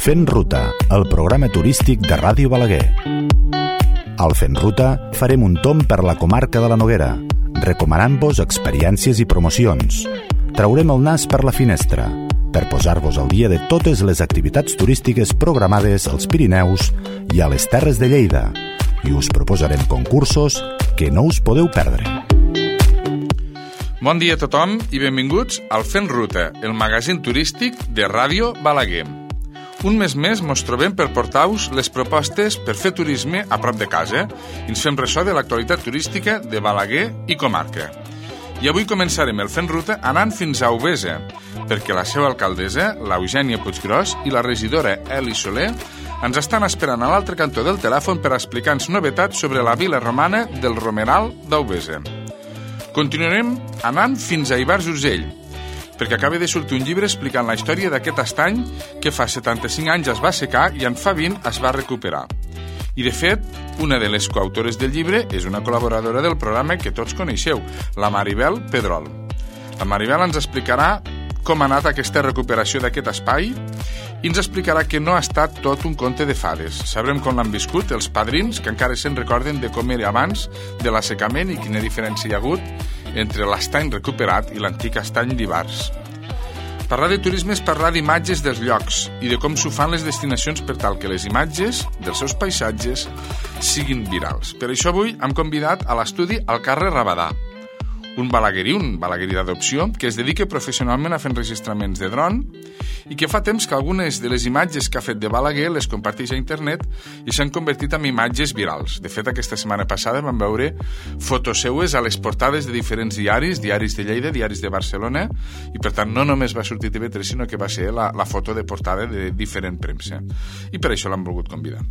Fent Ruta, el programa turístic de Ràdio Balaguer. Al Fent Ruta farem un tomb per la comarca de la Noguera, recomanant-vos experiències i promocions. Traurem el nas per la finestra, per posar-vos al dia de totes les activitats turístiques programades als Pirineus i a les Terres de Lleida, i us proposarem concursos que no us podeu perdre. Bon dia a tothom i benvinguts al Fent Ruta, el magazín turístic de Ràdio Balaguer. Un mes més mos trobem per portar-vos les propostes per fer turisme a prop de casa i ens fem ressò de l'actualitat turística de Balaguer i comarca. I avui començarem el Fent Ruta anant fins a Auvesa, perquè la seva alcaldessa, l'Eugènia Puiggròs, i la regidora Eli Soler ens estan esperant a l'altre cantó del telèfon per explicar-nos novetats sobre la vila romana del Romeral d'Auvesa. Continuarem anant fins a Ivars d'Urgell, perquè acaba de sortir un llibre explicant la història d'aquest estany que fa 75 anys es va assecar i en fa 20 es va recuperar. I, de fet, una de les coautores del llibre és una col·laboradora del programa que tots coneixeu, la Maribel Pedrol. La Maribel ens explicarà com ha anat aquesta recuperació d'aquest espai i ens explicarà que no ha estat tot un conte de fades. Sabrem com l'han viscut els padrins, que encara se'n recorden de com era abans de l'assecament i quina diferència hi ha hagut entre l'estany recuperat i l'antic estany d'Ivars. Parlar de turisme és parlar d'imatges dels llocs i de com s'ho fan les destinacions per tal que les imatges dels seus paisatges siguin virals. Per això avui hem convidat a l'estudi al Carles Rabadà, un balaguerí d'adopció que es dedica professionalment a fer enregistraments de dron i que fa temps que algunes de les imatges que ha fet de Balaguer les comparteix a internet i s'han convertit en imatges virals. De fet, aquesta setmana passada vam veure fotos seues a les portades de diferents diaris de Lleida, diaris de Barcelona, i per tant no només va sortir TV3, sinó que va ser la foto de portada de diferent premsa. I per això l'han volgut convidar.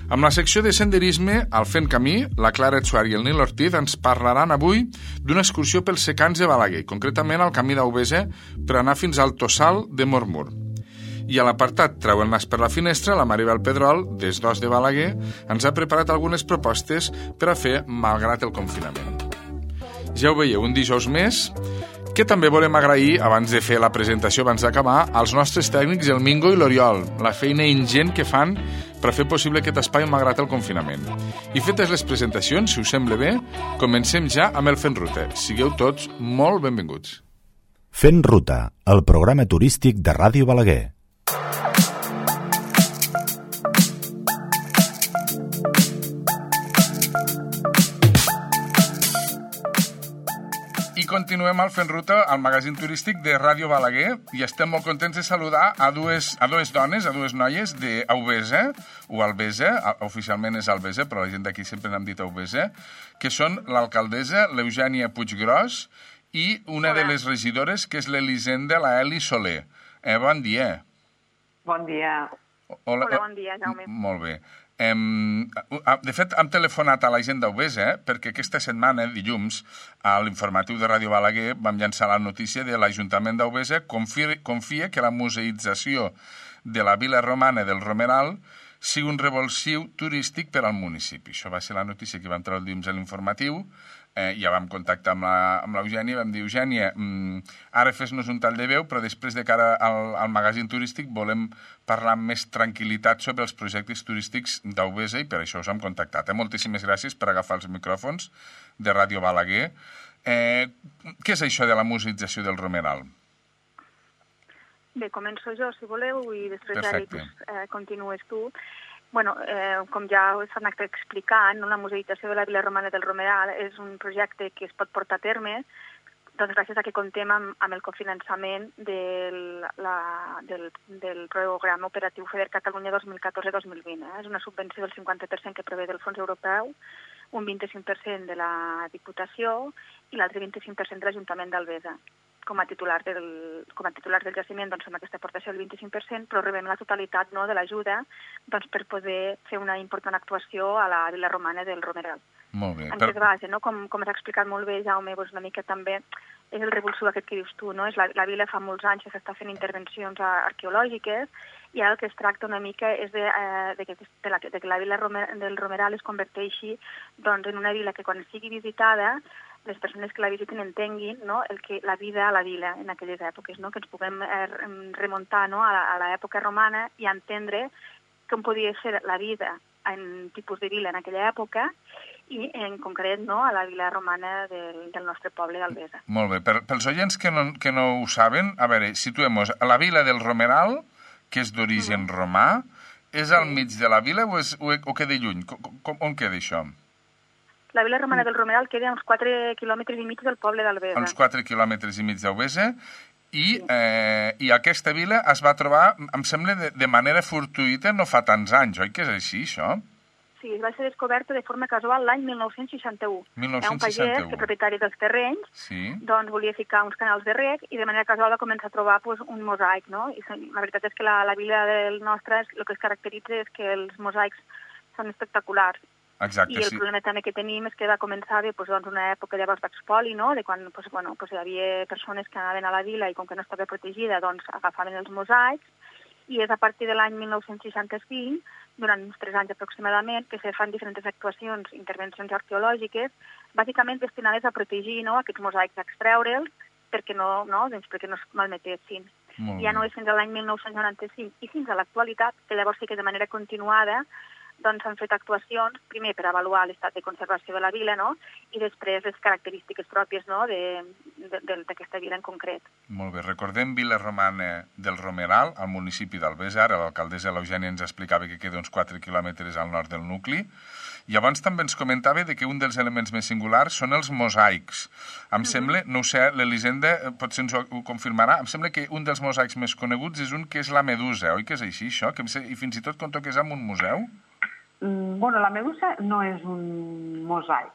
Amb la secció de senderisme, al Fent Camí, la Clara Etsuari i el Nil Ortiz ens parlaran avui d'una excursió pels secans de Balaguer, concretament al camí d'Auvesa, per anar fins al Tossal de Mormur. I a l'apartat Treu el nas per la finestra, la Maribel Pedrol, des d'Os de Balaguer, ens ha preparat algunes propostes per a fer malgrat el confinament. Ja ho veieu, un dijous més, que també volem agrair, abans de fer la presentació, abans d'acabar, als nostres tècnics, el Mingo i l'Oriol, la feina ingent que fan per fer possible aquest espai malgrat el confinament. I fetes les presentacions, si us sembla bé, comencem ja amb el Fent Ruta. Sigueu tots molt benvinguts. Fent Ruta, el programa turístic de Ràdio Balaguer. Continuem al Fent Ruta, al magazín turístic de Ràdio Balaguer, i estem molt contents de saludar a dues dones, a dues noies d'Auvesa, o Albesa, oficialment és Albesa, però la gent d'aquí sempre n'hem dit Auvesa, que són l'alcaldessa, l'Eugènia Puiggròs, i una de les regidores, que és l'Elisenda, la Eli Soler. Bon dia. Bon dia. Hola, bon dia, Jaume. Molt bé. De fet, hem telefonat a la gent d'Auvesa perquè aquesta setmana, dilluns, a l'informatiu de Ràdio Balaguer vam llançar la notícia de l'Ajuntament d'Auvesa confia que la museïtzació de la vila romana del Romeral sigui un revulsiu turístic per al municipi. Això va ser la notícia que vam treure el dilluns a l'informatiu. Ja vam contactar amb l'Eugènia i vam dir, Eugènia, ara fes-nos un tall de veu, però després de cara al magazín turístic volem parlar amb més tranquil·litat sobre els projectes turístics d'Auvesa i per això us hem contactat. Moltíssimes gràcies per agafar els micròfons de Ràdio Balaguer. Què és això de la museïtzació del Romeral? Bé, començo jo, si voleu, i després continues tu. Bueno, com ja s'ha anat explicant, la museïtzació de la vila romana del Romeral és un projecte que es pot portar a terme doncs gràcies a que comptem amb el cofinançament del programa operatiu FEDER Catalunya 2014-2020. És una subvenció del 50% que prové del fons europeu, un 25% de la Diputació i l'altre 25% de l'Ajuntament d'Albesa. Com a titular del jaciment fem aquesta aportació del 25%, però rebem la totalitat de l'ajuda per poder fer una important actuació a la vila romana del Romeral. Molt bé. En què es basa, com has explicat molt bé, Jaume, una mica també és el revulsiu aquest que dius tu, no? La vila fa molts anys que s'està fent intervencions arqueològiques i ara el que es tracta una mica és de que la vila del Romeral es converteixi en una vila que quan sigui visitada les persones que la visiten entenguin, no, la vida a la vila en aquelles èpoques, no, que ens puguem remuntar, no, a l'època romana i entendre com podia ser la vida en tipus de vila en aquella època i en concret, no, a la vila romana del nostre poble d'Albesa. Molt bé. Pels oients que no ho saben, a veure, situem-nos. La vila del Romeral, que és d'origen romà, és al mig de la vila o queda lluny? On queda això? La vila romana del Romeral queda a uns 4 quilòmetres i mig del poble d'Albesa. A uns 4 quilòmetres i mig d'Albesa. I aquesta vila es va trobar, em sembla, de manera fortuïta no fa tants anys, oi que és així, això? Sí, va ser descoberta de forma casual l'any 1961. 1961. Un pagès, que propietari dels terrenys, doncs volia ficar uns canals de reg i de manera casual va començar a trobar un mosaic, no? I la veritat és que la vila del nostre, el que es caracteritza és que els mosaics són espectaculars. Exacte, I el problema també que tenim és que va començar una època llavors d'expoli, no? De quan hi havia persones que anaven a la vila i com que no estava protegida, doncs agafaven els mosaics, i és a partir de l'any 1965, durant uns 3 anys aproximadament, que se fan diferents actuacions, intervencions arqueològiques, bàsicament destinades a protegir, no, aquests mosaics, a extreure'ls perquè no es malmetessin. Ja no és fins a l'any 1995 i fins a l'actualitat, que llavors sí que de manera continuada doncs s'han fet actuacions, primer per avaluar l'estat de conservació de la vila, no? I després les característiques pròpies, no, d'aquesta vila en concret. Molt bé. Recordem Vila Romana del Romeral, al municipi d'Albesa. Ara l'alcaldessa l'Eugènia ens explicava que queda uns 4 quilòmetres al nord del nucli. I abans també ens comentava que un dels elements més singulars són els mosaics. Em sembla, no ho sé, l'Elisenda potser ens ho confirmarà, em sembla que un dels mosaics més coneguts és un que és la Medusa, oi que és així, això? I fins i tot conto que és en un museu? Bueno, la Medusa no és un mosaic.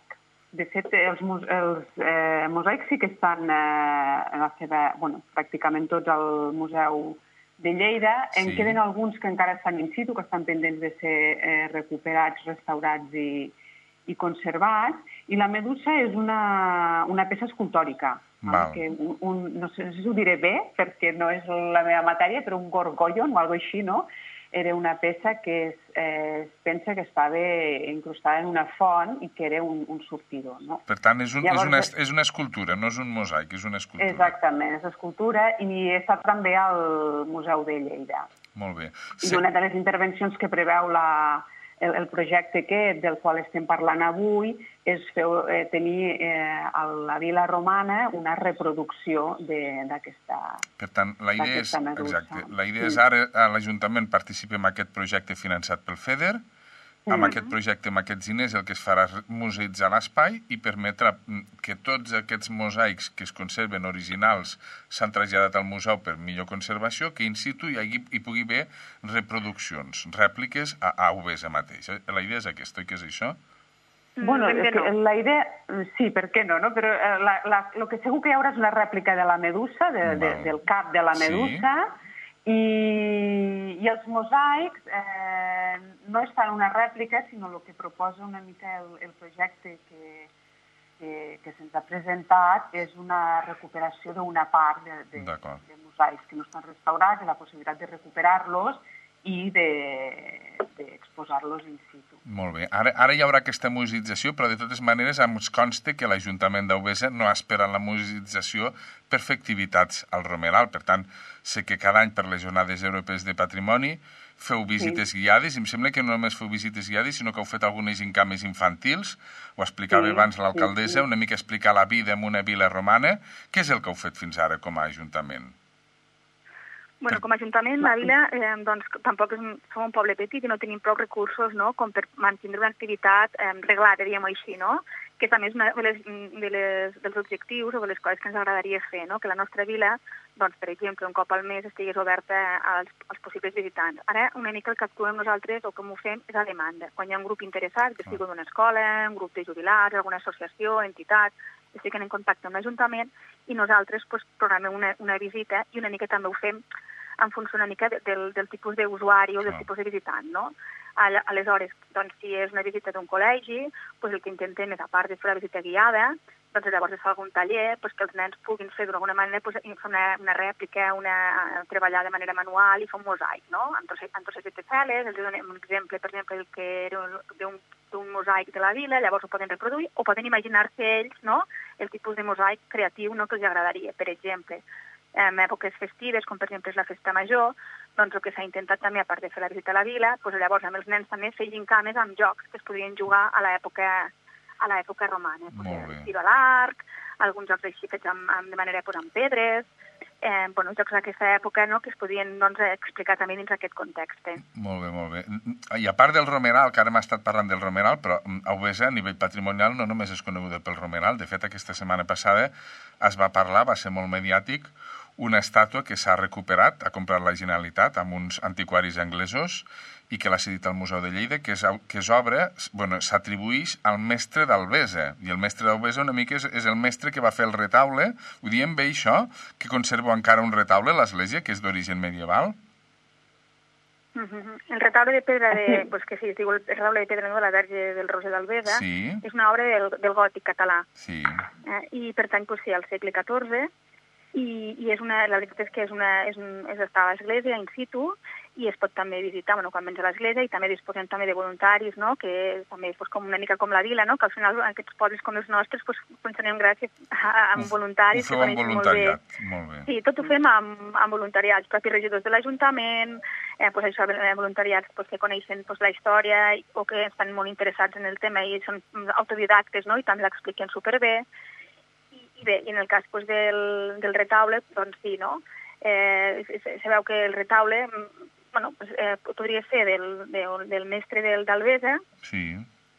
De fet, els mosaics sí que estan en la seva... Bueno, pràcticament tots al Museu de Lleida. En queden alguns que encara estan in situ, que estan pendents de ser recuperats, restaurats i conservats. I la Medusa és una peça escultòrica. Que no sé si ho diré bé, perquè no és la meva matèria, però un gorgollon o alguna cosa així, no? Era una peça que es pensa que estava incrustada en una font i que era un sortidor, no? Per tant, és una escultura, no és un mosaic, és una escultura. Exactament, és escultura i he estat també al Museu de Lleida. Molt bé. I una de les intervencions que preveu el projecte del qual estem parlant avui és tenir a la vila romana una reproducció d'aquesta Medusa. Per tant, la idea és ara a l'Ajuntament participi en aquest projecte finançat pel FEDER. Amb aquest projecte, amb aquests diners, el que es farà és museïtzar l'espai i permetre que tots aquests mosaics que es conserven originals s'han traslladat al museu per millor conservació, que in situ hi pugui haver reproduccions, rèpliques a Albesa mateix. La idea és aquesta, oi que és això? Bueno, la idea... Sí, per què no? Però el que segur que hi haurà és una rèplica de la Medusa, del cap de la Medusa, i els mosaics no és tant una rèplica, sinó el que proposa una mica el projecte que se'ns ha presentat és una recuperació d'una part de mosaics que no estan restaurats, i la possibilitat de recuperar-los i d'exposar-los in situ. Molt bé. Ara hi haurà aquesta museïtzació, però de totes maneres ens consta que l'Ajuntament d'Albesa no ha esperat la museïtzació per fer activitats al Romeral. Per tant, sé que cada any per les Jornades Europees de Patrimoni feu visites guiades, i em sembla que no només feu visites guiades, sinó que heu fet algunes gincames infantils. Ho explicava abans l'alcaldessa, una mica explicar la vida en una vila romana. Què és el que heu fet fins ara com a Ajuntament? Bueno, com a Ajuntament, la vila, doncs, tampoc som un poble petit i no tenim prou recursos, no?, com per mantenir una activitat reglada, diguem-ho així, no?, que és a més dels objectius o de les coses que ens agradaria fer, no?, que la nostra vila, doncs, per exemple, un cop al mes estigués oberta als possibles visitants. Ara, una mica el que actuem nosaltres o com ho fem és a demanda. Quan hi ha un grup interessat, que sigui d'una escola, un grup de jubilats, alguna associació, entitat, que estiguin en contacte amb l'Ajuntament, i nosaltres programem una visita i una mica també ho fem en funció una mica del tipus d'usuari o del tipus de visitant, no? Aleshores, doncs, si és una visita d'un col·legi, doncs el que intentem és, a part de fer la visita guiada, doncs llavors es fa algun taller que els nens puguin fer d'alguna manera fer una rèplica, treballar de manera manual i fer un mosaic, no? En trosses de teseles, els donem un exemple, per exemple, el que era d'un mosaic de la vila, llavors ho poden reproduir, o poden imaginar-se ells, no?, el tipus de mosaic creatiu, no?, que els agradaria. Per exemple, en èpoques festives, com per exemple és la festa major, doncs el que s'ha intentat també, a part de fer la visita a la vila, doncs llavors amb els nens també fer gincames amb jocs que es podien jugar a l'època romana. Tiro a l'arc, alguns jocs així fets de manera amb pedres, jocs d'aquesta època, no?, que es podien explicar també dins aquest context. Molt bé, molt bé. I a part del romeral, que ara hem estat parlant del romeral, però a Albesa, a nivell patrimonial, no només és coneguda pel romeral. De fet, aquesta setmana passada es va parlar, va ser molt mediàtic, una estàtua que s'ha recuperat, ha comprat la Generalitat amb uns antiquaris anglesos i que l'ha cedit al Museu de Lleida, que és obra, s'atribueix al mestre d'Albesa. I el mestre d'Albesa una mica és el mestre que va fer el retaule. Ho diem bé, això? Que conserva encara un retaule a l'església, que és d'origen medieval? El retaule de pedra, que sí, es diu el retaule de pedra de la Verge del Roser d'Albesa, és una obra del gòtic català. I pertany, sí, al segle XIV, i la veritat és que està a l'església in situ i es pot també visitar quan vens a l'església, i també disposem també de voluntaris, no?, que també com una mica com la vila, no?, que al final aquests pobles com els nostres funcionem gràcies a voluntaris. Ho feu amb voluntariat, molt bé. Sí, tot ho fem amb voluntariats, propis regidors de l'Ajuntament, voluntariats que coneixen la història o que estan molt interessats en el tema i són autodidactes, no?, i també l'expliquen superbé. I bé, en el cas del retaule, doncs sí, no? Se veu que el retaule podria ser del mestre d'Albesa,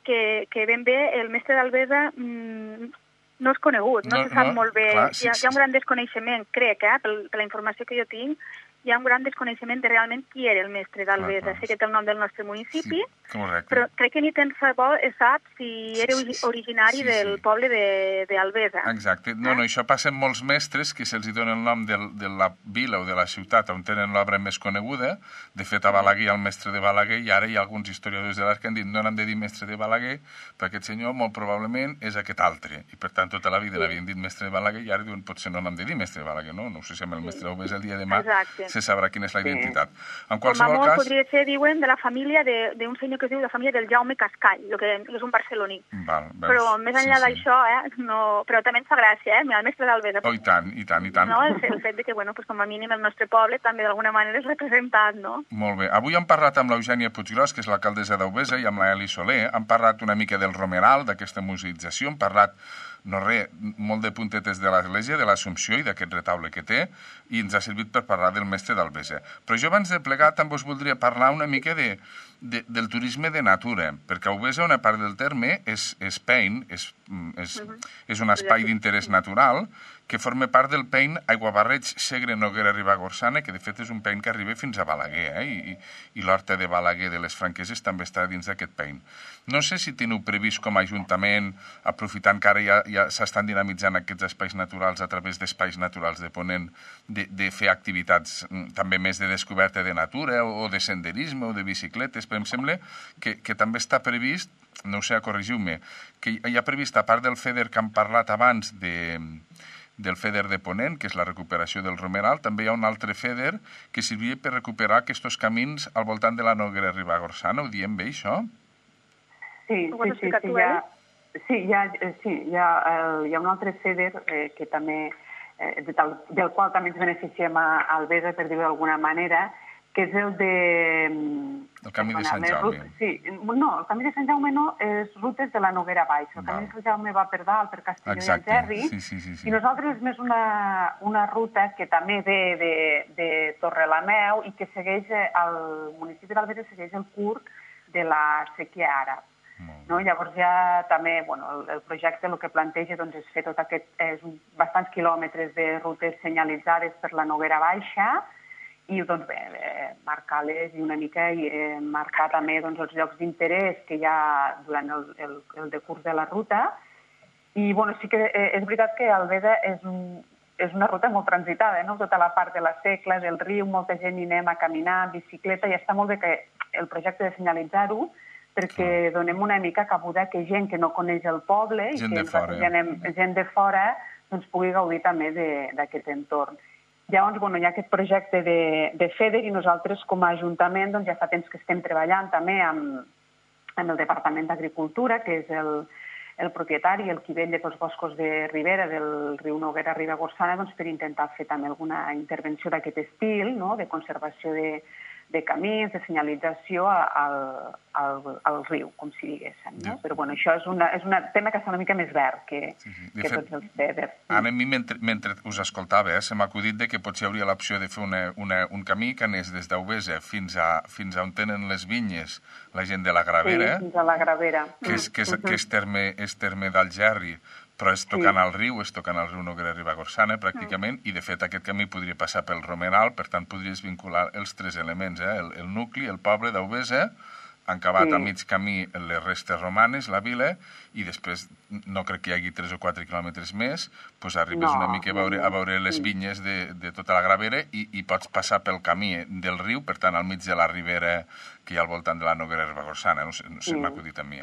que ben bé el mestre d'Albesa no és conegut, no se sap molt bé. Hi ha un gran desconeixement, crec, per la informació que jo tinc, hi ha un gran desconeixement de realment qui era el mestre d'Albesa. Sé que té el nom del nostre municipi, però crec que ni tan sap si era originari del poble d'Albesa. Exacte. No, això passa amb molts mestres que se'ls dona el nom de la vila o de la ciutat on tenen l'obra més coneguda. De fet, a Balaguer hi ha el mestre de Balaguer, i ara hi ha alguns historiadors de l'art que han dit no n'han de dir mestre de Balaguer, perquè aquest senyor molt probablement és aquest altre. I per tant, tota la vida l'havien dit mestre de Balaguer, i ara diuen potser no n'han de dir mestre de Balaguer, no? No sé si amb el mestre d'Albesa el dia de demà se sabrà quina és la identitat. En qualsevol cas... podria ser, diuen, de la família d'un senyor que es diu la família del Jaume Cascall, que és un barceloní. Però més enllà d'això, però també ens fa gràcia, el mestre d'Albesa. Oh, i tant, i tant. No, el fet que, com a mínim el nostre poble també d'alguna manera és representat, no? Molt bé. Avui hem parlat amb l'Eugènia Puiggròs, que és l'alcaldessa d'Albesa, i amb la Eli Soler. Hem parlat una mica del romeral, d'aquesta museïtzació, hem parlat molt de puntetes de l'església, de l'Assumpció i d'aquest retaule que té, i ens ha servit per parlar del mestre d'Albesa. Però jo abans de plegar també us voldria parlar una mica del turisme de natura, perquè Albesa, una part del terme, és Pein, és un espai d'interès natural que forma part del Pein Aiguabarreig Segre Noguera Ribagorçana, que de fet és un Pein que arriba fins a Balaguer, i l'horta de Balaguer de les Franqueses també està dins d'aquest Pein. No sé si teniu previst com a Ajuntament, aprofitant que ara ja s'estan dinamitzant aquests espais naturals a través d'espais naturals de Ponent, de fer activitats també més de descoberta de natura o de senderisme o de bicicletes, però em sembla que també està previst, no ho sé, corregiu-me, que hi ha previst, a part del FEDER que hem parlat abans del FEDER de Ponent, que és la recuperació del romeral, també hi ha un altre FEDER que servia per recuperar aquests camins al voltant de la Noguera Ribagorçana. Ho diem bé, això? Sí, hi ha un altre FEDER que també, del qual també ens beneficiem a Albesa, per dir-ho d'alguna manera, que és el de... El Camí de Sant Jaume. Sí, no, el Camí de Sant Jaume no, és rutes de la Noguera Baix. El Camí de Sant Jaume va per dalt, per Castelló i Algerri, i nosaltres és més una ruta que també ve de Torrelameu i que segueix, el municipi d'Albesa segueix el curt de la Séquia Àrab. Llavors ja també, el projecte el que planteja és fer tot aquest, bastants quilòmetres de rutes senyalitzades per la Noguera Baixa, i marcar-les i una mica marcar també els llocs d'interès que hi ha durant el decurs de la ruta. I sí que és veritat que Albesa és és una ruta molt transitada, no? Tota la part de la Secla, del riu, molta gent hi anem a caminar, bicicleta, i està molt bé que el projecte de senyalitzar-ho, perquè donem una mica cabuda que gent que no coneix el poble i que gent de fora doncs pugui gaudir també d'aquest entorn. Llavors, hi ha aquest projecte de FEDER i nosaltres com a Ajuntament ja fa temps que estem treballant també amb el Departament d'Agricultura, que és el propietari, el qui vetlla pels boscos de ribera del riu Noguera Ribagorçana, per intentar fer també alguna intervenció d'aquest estil, de conservació de camins, de senyalització al riu, com si diguéssim. Però això és un tema que està una mica més verd que tots els FEDER. Ara, a mi, mentre us escoltava, se m'ha acudit que potser hi hauria l'opció de fer un camí que anés des d'Auvesa fins a on tenen les vinyes la gent de la Gravera. Sí, fins a la Gravera. Que és terme d'Algerri, però és tocant al riu, Noguera Ribagorçana, pràcticament, i de fet aquest camí podria passar pel Romeral, per tant podries vincular els tres elements, el nucli, el poble d'Auvesa, han acabat a mig camí les restes romanes, la vila, i després no crec que hi hagi 3 o 4 quilòmetres més, doncs arribes una mica a veure les vinyes de tota la Gravera i pots passar pel camí del riu, per tant al mig de la ribera que hi ha al voltant de la Noguera Ribagorçana, no sé, m'ha acudit a mi,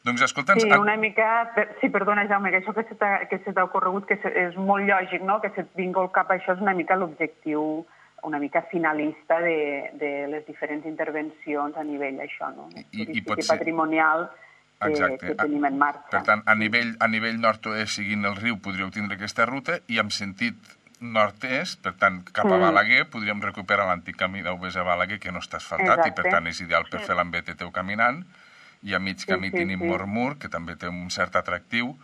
Doncs escolta'ns... Sí, una mica... Sí, perdona, Jaume, que això que se t'ha ocorregut, que és molt lògic, no?, que se't vingui al cap, això és una mica l'objectiu una mica finalista de les diferents intervencions a nivell això, no?, turístic i patrimonial que tenim en marxa. Per tant, a nivell nord-oest, seguint el riu, podríeu tindre aquesta ruta, i en sentit nord-est, per tant, cap a Balaguer, podríem recuperar l'antic camí d'Auvesa a Balaguer, que no està asfaltat, i per tant és ideal per fer l'embete teu caminant, i a mig camí tenim Mormur, que també té un cert atractiu,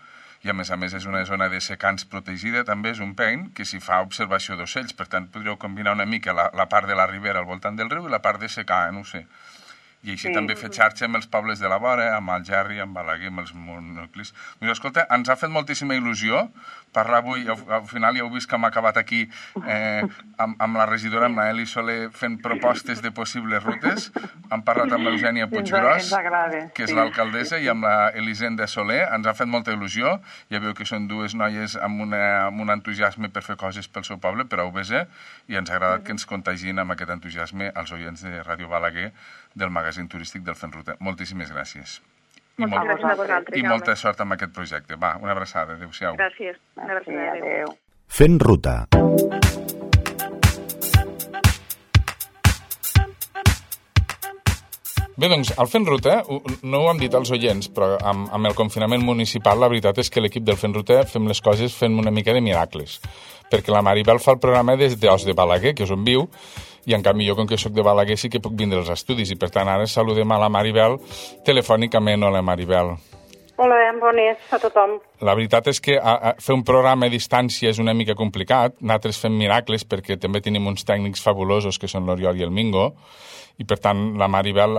i a més és una zona de secans protegida, també és un pein que s'hi fa observació d'ocells, per tant podríeu combinar una mica la part de la ribera al voltant del riu i la part de secà, no ho sé. I així també fer xarxa amb els pobles de la vora, amb Algerri, amb Balaguer, amb els nuclis. Doncs escolta, ens ha fet moltíssima il·lusió parlar avui, al final ja heu vist que hem acabat aquí amb la regidora, amb la Eli Soler, fent propostes de possibles rutes. Hem parlat amb l'Eugènia Puiggròs, que és l'alcaldessa, i amb l'Elisenda Soler. Ens ha fet molta il·lusió. Ja veu que són dues noies amb un entusiasme per fer coses pel seu poble, per Auvesa, i ens ha agradat que ens contagin amb aquest entusiasme als oients de Ràdio Balaguer del magazín turístic del Fent Ruta. Moltíssimes gràcies. Moltes gràcies a vosaltres, i molta sort amb aquest projecte. Va, una abraçada. Adéu-siau. Gràcies. Una abraçada. Adéu. Fent Ruta. Bé, doncs, al Fent Ruta, no ho hem dit als oients, però amb el confinament municipal la veritat és que l'equip del Fent Ruta fem les coses fent una mica de miracles. Perquè la Maribel fa el programa des d'Os de Balaguer, que és on viu, i en canvi jo, com que soc de Balaguer, sí que puc vindre als estudis, i per tant ara saludem a la Maribel telefònicament. Hola, Maribel. Hola, bones a tothom. La veritat és que fer un programa a distància és una mica complicat. Nosaltres fem miracles perquè també tenim uns tècnics fabulosos que són l'Oriol i el Mingo, i per tant la Maribel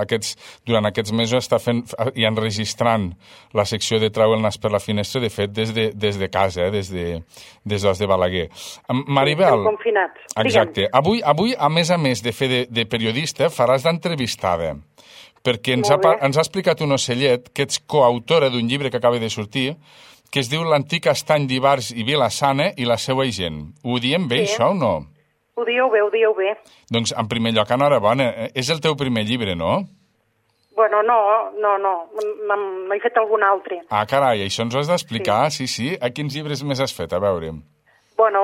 durant aquests mesos està fent i enregistrant la secció de Trau el nas per la finestra, de fet des de casa, des d'Os de Balaguer. Maribel... Estem confinats. Exacte. Avui, a més de fer de periodista, faràs d'entrevistada, perquè ens ha explicat un ocellet que ets coautora d'un llibre que acaba de sortir, que es diu L'antic estany d'Ivars i Vila-sana i la seva gent. Ho diem bé, això, o no? Ho dieu bé. Doncs, en primer lloc, enhorabona. És el teu primer llibre, no? Bueno, no. M'he fet algun altre. Ah, carai, això ens ho has d'explicar, sí. A quins llibres més has fet? A veure. Bueno,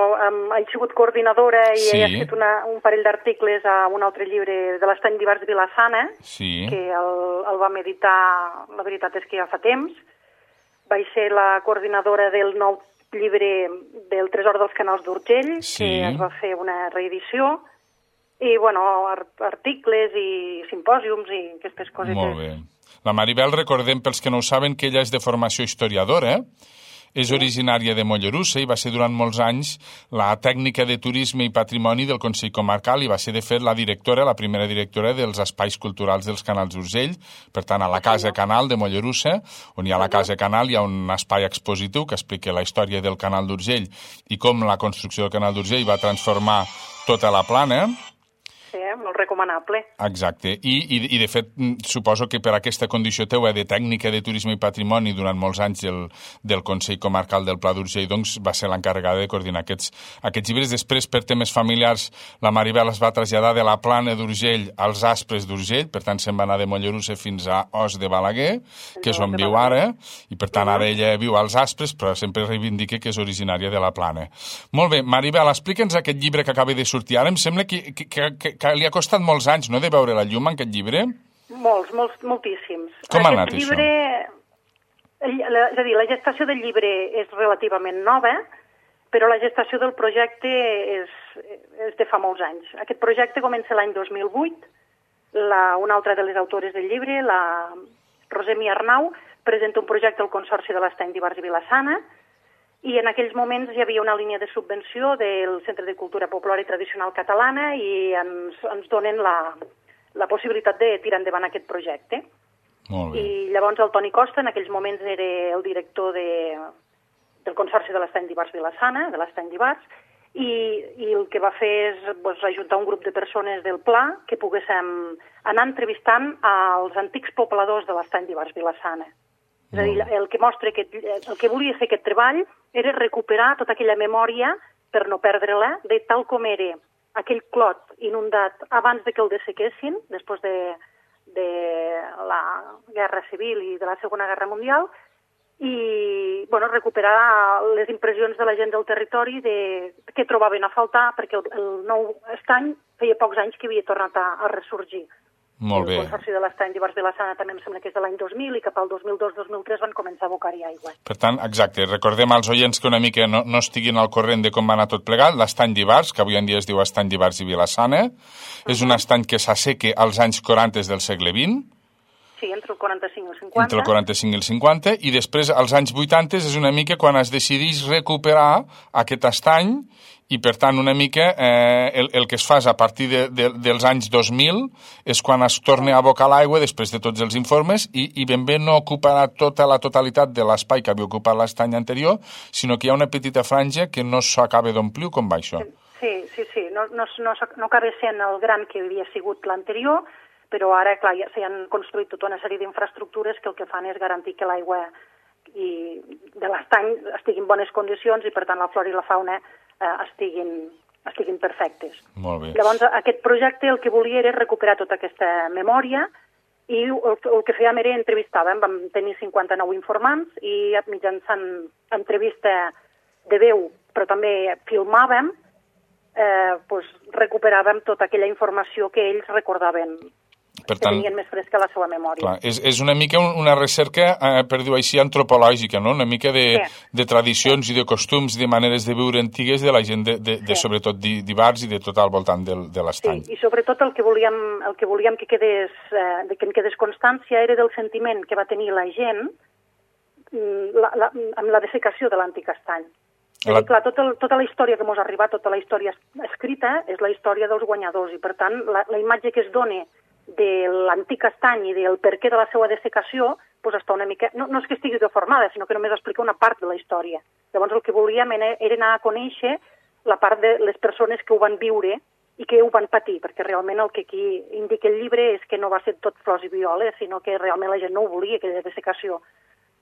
he sigut coordinadora i he fet un parell d'articles a un altre llibre de l'estany d'Ivars i Vila-sana, que el vam editar, la veritat és que ja fa temps. Vaig ser la coordinadora del nou llibre del Tresor dels Canals d'Urgell, que es va fer una reedició, i, bueno, articles i simpòsiums i aquestes coses. Molt bé. La Maribel, recordem, pels que no ho saben, que ella és de formació historiadora, és originària de Mollerussa i va ser durant molts anys la tècnica de turisme i patrimoni del Consell Comarcal i va ser, de fet, la primera directora dels espais culturals dels Canals d'Urgell, per tant, a la Casa Canal de Mollerussa, on hi ha la Casa Canal, hi ha un espai expositiu que explica la història del Canal d'Urgell i com la construcció del Canal d'Urgell va transformar tota la plana. molt recomanable. Exacte, i de fet suposo que per aquesta condició teua de tècnica de turisme i patrimoni durant molts anys del Consell Comarcal del Pla d'Urgell doncs va ser l'encarregada de coordinar aquests llibres. Després, per temes familiars, la Maribel es va traslladar de la Plana d'Urgell als Aspres d'Urgell, per tant se'n va anar de Mollerussa fins a Os de Balaguer, que és on viu ara, i per tant ara ella viu als Aspres, però sempre reivindica que és originària de la Plana. Molt bé, Maribel, explica'ns aquest llibre que acaba de sortir ara. Em sembla que li ha costat molts anys, no?, de veure la llum, aquest llibre? Moltíssims. Com ha anat això? És a dir, la gestació del llibre és relativament nova, però la gestació del projecte és de fa molts anys. Aquest projecte comença l'any 2008. Una altra de les autores del llibre, la Rosemi Arnau, presenta un projecte al Consorci de l'Estany d'Ivars i Vila-sana, i en aquells moments hi havia una línia de subvenció del Centre de Cultura Popular i Tradicional Catalana i ens donen la possibilitat de tirar endavant aquest projecte. Molt bé. I llavors el Toni Costa, en aquells moments era el director del Consorci de l'Estany d'Ivars Vila-sana, de l'Estany d'Ivars, i el que va fer és ajuntar un grup de persones del Pla que poguéssim anar entrevistant als antics pobladors de l'Estany d'Ivars Vila-sana. És a dir, el que volia fer aquest treball era recuperar tota aquella memòria per no perdre-la, de tal com era aquell clot inundat abans de que el dessequessin, després de la Guerra Civil i de la Segona Guerra Mundial, i recuperar les impressions de la gent del territori que trobaven a faltar, perquè el nou estany feia pocs anys que havia tornat a ressorgir. Molt bé. El Consorci de l'Estany d'Ivars Vila-sana també em sembla que és de l'any 2000 i cap al 2002-2003 van començar a abocar-hi aigua. Per tant, exacte, recordem als oients que una mica no estiguin al corrent de com va anar tot plegat. L'Estany d'Ivars, que avui en dia es diu Estany d'Ivars i Vila-sana, és un estany que s'asseca als anys 40 del segle XX. Sí, entre el 45 i el 50. Entre el 45 i el 50, i després, als anys 80, és una mica quan es decideix recuperar aquest estany, i per tant una mica el que es fa a partir dels anys 2000 és quan es torna a abocar l'aigua després de tots els informes i ben bé no ocuparà tota la totalitat de l'espai que havia ocupat l'estany anterior, sinó que hi ha una petita franja que no s'acaba d'omplir. Com va això? Sí. No acaba sent el gran que havia sigut l'anterior, però ara, clar, ja s'han construït tota una sèrie d'infraestructures que el que fan és garantir que l'aigua de l'estany estigui en bones condicions i, per tant, la flora i la fauna estiguin perfectes. Molt bé. Llavors, aquest projecte el que volia era recuperar tota aquesta memòria i el que fèiem era entrevistàvem. Vam tenir 59 informants i mitjançant entrevista de veu, però també filmàvem, recuperàvem tota aquella informació que ells recordaven, que tenien més fresca la seva memòria. Clar, és una mica una recerca, per dir-ho així, antropològica, no? Una mica de tradicions i de costums, de maneres de viure antigues de la gent, sobretot d'Ivars i de tot al voltant de l'estany. Sí, i sobretot el que volíem que en quedés constància era del sentiment que va tenir la gent amb la dessecació de l'antic estany. Clar, tota la història que ens ha arribat, tota la història escrita, és la història dels guanyadors, i per tant la imatge que es dona de l'antic estany i del perquè de la seva dessecació està una mica... No és que estigui deformada, sinó que només explica una part de la història. Llavors el que volíem era anar a conèixer la part de les persones que ho van viure i que ho van patir, perquè realment el que aquí indica el llibre és que no va ser tot flors i violes, sinó que realment la gent no ho volia, aquella dessecació,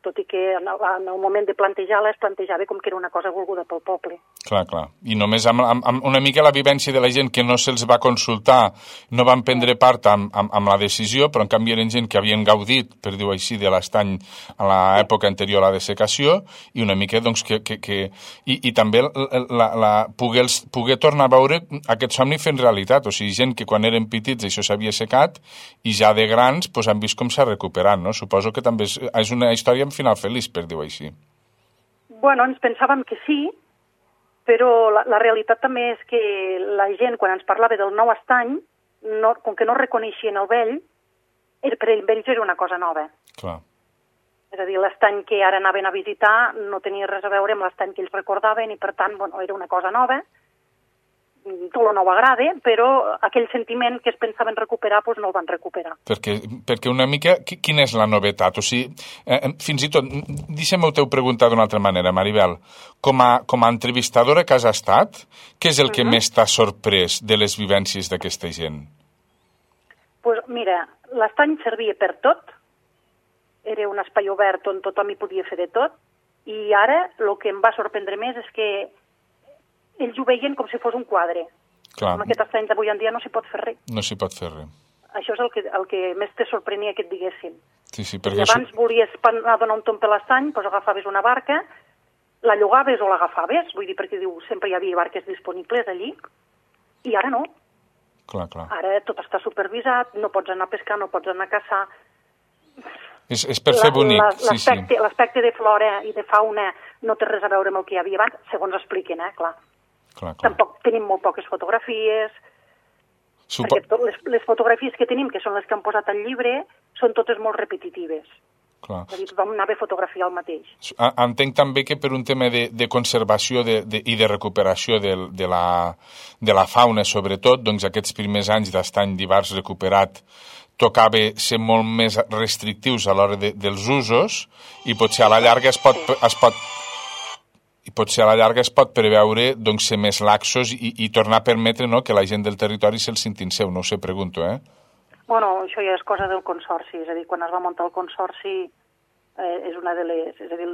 tot i que en el moment de plantejar-la es plantejava com que era una cosa volguda pel poble. Clar. I només amb una mica la vivència de la gent que no se'ls va consultar, no van prendre part amb la decisió, però en canvi eren gent que havien gaudit, per dir-ho així, de l'estany a l'època anterior a la dessecació, i una mica, doncs, i també poder tornar a veure aquest somni fent realitat, o sigui, gent que quan eren petits això s'havia secat, i ja de grans han vist com s'ha recuperat, no? Suposo que també és una història amb final feliç, per dir-ho així. Bueno, ens pensàvem que sí, però la realitat també és que la gent, quan ens parlava del nou estany, com que no reconeixien el vell, per ells era una cosa nova. Clar. És a dir, l'estany que ara anaven a visitar no tenia res a veure amb l'estany que ells recordaven i, per tant, era una cosa nova. Tot no ho agrada, però aquell sentiment que es pensaven recuperar, no el van recuperar. Perquè una mica, quina és la novetat? O sigui, fins i tot, deixa'm-ho preguntar d'una altra manera, Maribel. Com a entrevistadora que has estat, què és el que més t'ha sorprès de les vivències d'aquesta gent? Pues mira, l'estany servia per tot, era un espai obert on tothom hi podia fer de tot, i ara el que em va sorprendre més és que ells ho veien com si fos un quadre. Clar. Amb aquest estany d'avui en dia no s'hi pot fer res. No s'hi pot fer res. Això és el que més te sorprenia que et diguessin. Sí, perquè abans volies anar a donar un tomb per l'estany, doncs agafaves una barca, la llogaves o l'agafaves, vull dir, perquè diu, sempre hi havia barques disponibles allí, i ara no. Clar. Ara tot està supervisat, no pots anar a pescar, no pots anar a caçar. És per fer bonic, sí. L'aspecte de flora i de fauna no té res a veure amb el que hi havia abans, segons expliquen, clar. Tampoc tenim molt poques fotografies, perquè les fotografies que tenim, que són les que han posat al llibre, són totes molt repetitives. Clar. És a dir, tothom anava a fotografiar el mateix. Entenc també que per un tema de conservació i de recuperació de la fauna, sobretot, doncs aquests primers anys d'estany d'Ivars recuperat tocava ser molt més restrictius a l'hora dels usos i potser a la llarga es pot preveure doncs, ser més laxos i tornar a permetre que la gent del territori se'l sentin seu, no ho sé, pregunto, Bueno, això ja és cosa del consorci, és a dir, quan es va muntar el consorci és una de les... És a dir,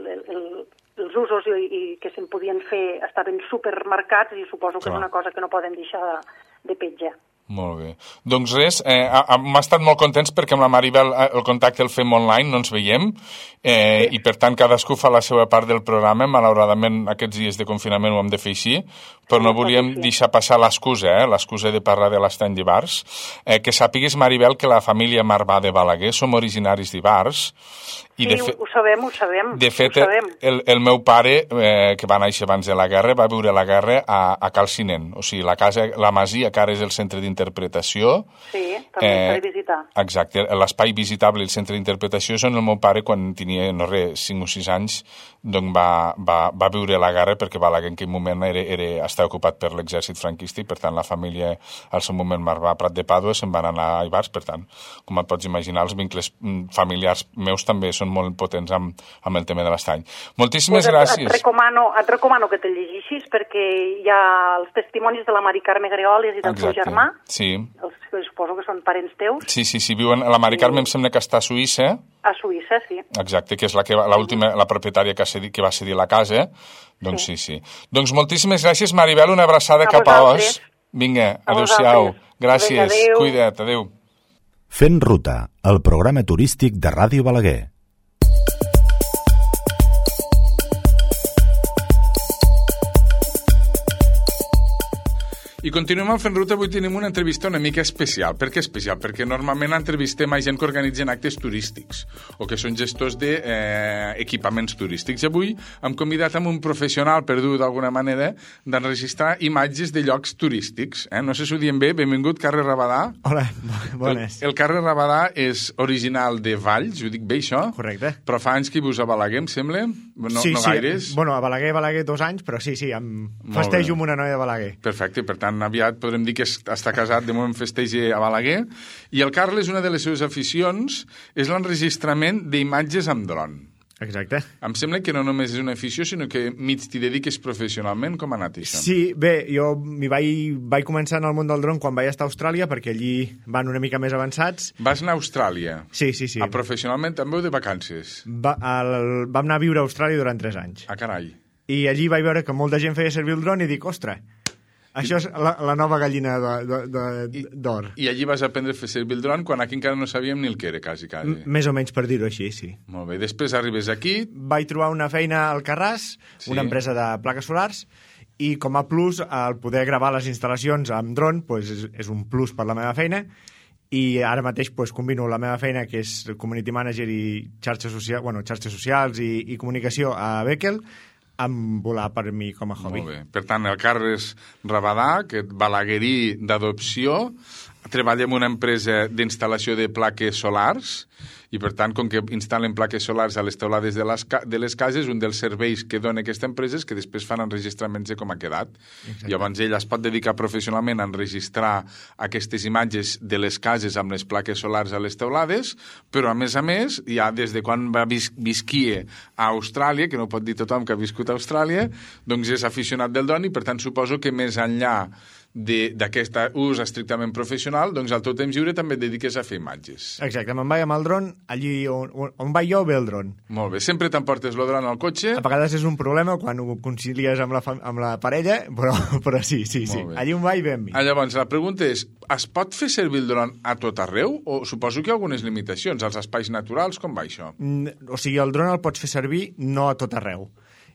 els usos que se'n podien fer estaven supermarcats i suposo que és una cosa que no poden deixar de petjar. Molt bé. Doncs res, hem estat molt contents perquè amb la Maribel el contacte el fem online, no ens veiem, i per tant cadascú fa la seva part del programa. Malauradament aquests dies de confinament ho hem de fer així, però no volíem deixar passar l'excusa de parlar de l'estany d'Ivars. Que sàpigues, Maribel, que la família Marbà de Balaguer som originaris d'Ivars. Sí, ho sabem. De fet, el meu pare, que va néixer abans de la guerra, va viure la guerra a Calcinent. O sigui, la masia, que ara és el centre d'interpretació. Sí, també s'ha de visitar. Exacte, l'espai visitable i el centre d'interpretació és on el meu pare, quan tenia, 5 o 6 anys, doncs va viure la guerra, perquè Balaguer en aquell moment estava ocupat per l'exèrcit franquista i, per tant, la família, al seu moment, Marbà Prat de Pàdua, se'n van anar a Ivars. Per tant, com et pots imaginar, els vincles familiars meus també són molt potents amb el tema de l'estany. Moltíssimes gràcies. Et recomano que te llegeixis perquè hi ha els testimonis de la Mari Carme Gregoles i del seu germà. Sí. Els suposo que són parents teus. Sí, viuen... La Mari Carme em sembla que està a Suïssa. A Suïssa, sí. Exacte, que és la propietària que va cedir la casa. Doncs sí. Doncs moltíssimes gràcies, Maribel, una abraçada cap a Os. Vinga, adéu-siau. Gràcies, cuida't, adéu. Fent ruta, el programa turístic de Ràdio Balaguer. I continuem al Fent Ruta. Avui tenim una entrevista una mica especial. Per què especial? Perquè normalment entrevistem a gent que organitzen actes turístics o que són gestors d'equipaments turístics. Avui hem convidat amb un professional, per dir-ho d'alguna manera, d'enregistrar imatges de llocs turístics. No sé si ho diem bé. Benvingut, Carles Rabadà. Hola, bones. El Carles Rabadà és original de Valls, ho dic bé, això? Correcte. Però fa anys que vius a Balaguer, em sembla? No gaires? Bueno, a Balaguer 2 anys, però sí, em festejo amb una noia de Balaguer. Perfecte, per tant, aviat podrem dir que està casat, de moment festeja a Balaguer. I el Carles, una de les seves aficions és l'enregistrament d'imatges amb dron. Exacte. Em sembla que no només és una afició, sinó que mig t'hi dediques professionalment. Com ha anat això? Sí, bé, jo vaig començar en el món del dron quan vaig estar a Austràlia, perquè allí van una mica més avançats. Vas anar a Austràlia? Sí. Professionalment també o de vacances? Vam anar a viure a Austràlia durant 3 anys. Ah, carai. I allí vaig veure que molta gent feia servir el dron i dic, ostres, això és la nova gallina d'or. I allí vas aprendre a fer servir el dron quan aquí encara no sabíem ni el que era, quasi. Més o menys, per dir-ho així, sí. Molt bé. Després arribes aquí... Vaig trobar una feina al Carràs, una empresa de plaques solars, i com a plus, el poder gravar les instal·lacions amb dron és un plus per la meva feina, i ara mateix combino la meva feina, que és community manager i xarxes socials i comunicació a Beckel, amb volar per mi com a hobby. Molt bé. Per tant, el Carles Rabadà, que balaguerí d'adopció, treballa en una empresa d'instal·lació de plaques solars i, per tant, com que instal·len plaques solars a les teulades de les cases, un dels serveis que dona aquesta empresa és que després fan enregistraments de com ha quedat. Exacte. Llavors ell es pot dedicar professionalment a enregistrar aquestes imatges de les cases amb les plaques solars a les teulades, però a més, ja des de quan visquia a Austràlia, que no pot dir tothom que ha viscut a Austràlia, doncs és aficionat del dron i, per tant, suposo que més enllà d'aquest ús estrictament professional, doncs al teu temps lliure també et dediques a fer imatges. Exacte, me'n vaig amb el dron, allí on vaig jo ve el dron. Molt bé, sempre t'emportes el dron al cotxe? A vegades és un problema quan ho concilies amb la parella, però sí. Allí on vaig ve amb mi. Llavors, la pregunta és, es pot fer servir el dron a tot arreu? O suposo que hi ha algunes limitacions, als espais naturals, com va això? O sigui, el dron el pots fer servir no a tot arreu.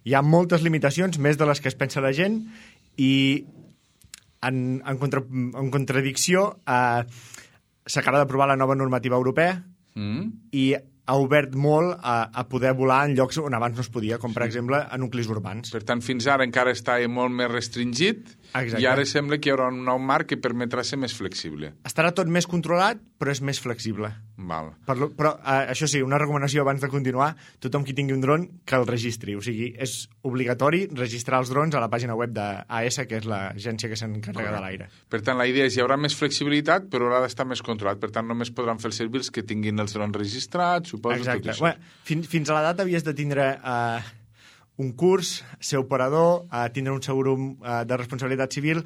Hi ha moltes limitacions, més de les que es pensa la gent, i en contradicció s'acaba d'aprovar la nova normativa europea i ha obert molt a poder volar en llocs on abans no es podia, com per exemple a nuclis urbans. Per tant, fins ara encara està molt més restringit. Exacte. I ara sembla que hi haurà un nou marc que permetrà ser més flexible. Estarà tot més controlat, però és més flexible. Val. Però això sí, una recomanació abans de continuar, tothom qui tingui un dron que el registri. O sigui, és obligatori registrar els drons a la pàgina web d'AS, que és l'agència que s'encarrega de l'aire. Per tant, la idea és hi haurà més flexibilitat, però haurà d'estar més controlat. Per tant, només podran fer servir els que tinguin els drons registrats, suposo. Exacte. Fins a la data havies de tindre un curs, ser operador, tindre un seguro de responsabilitat civil,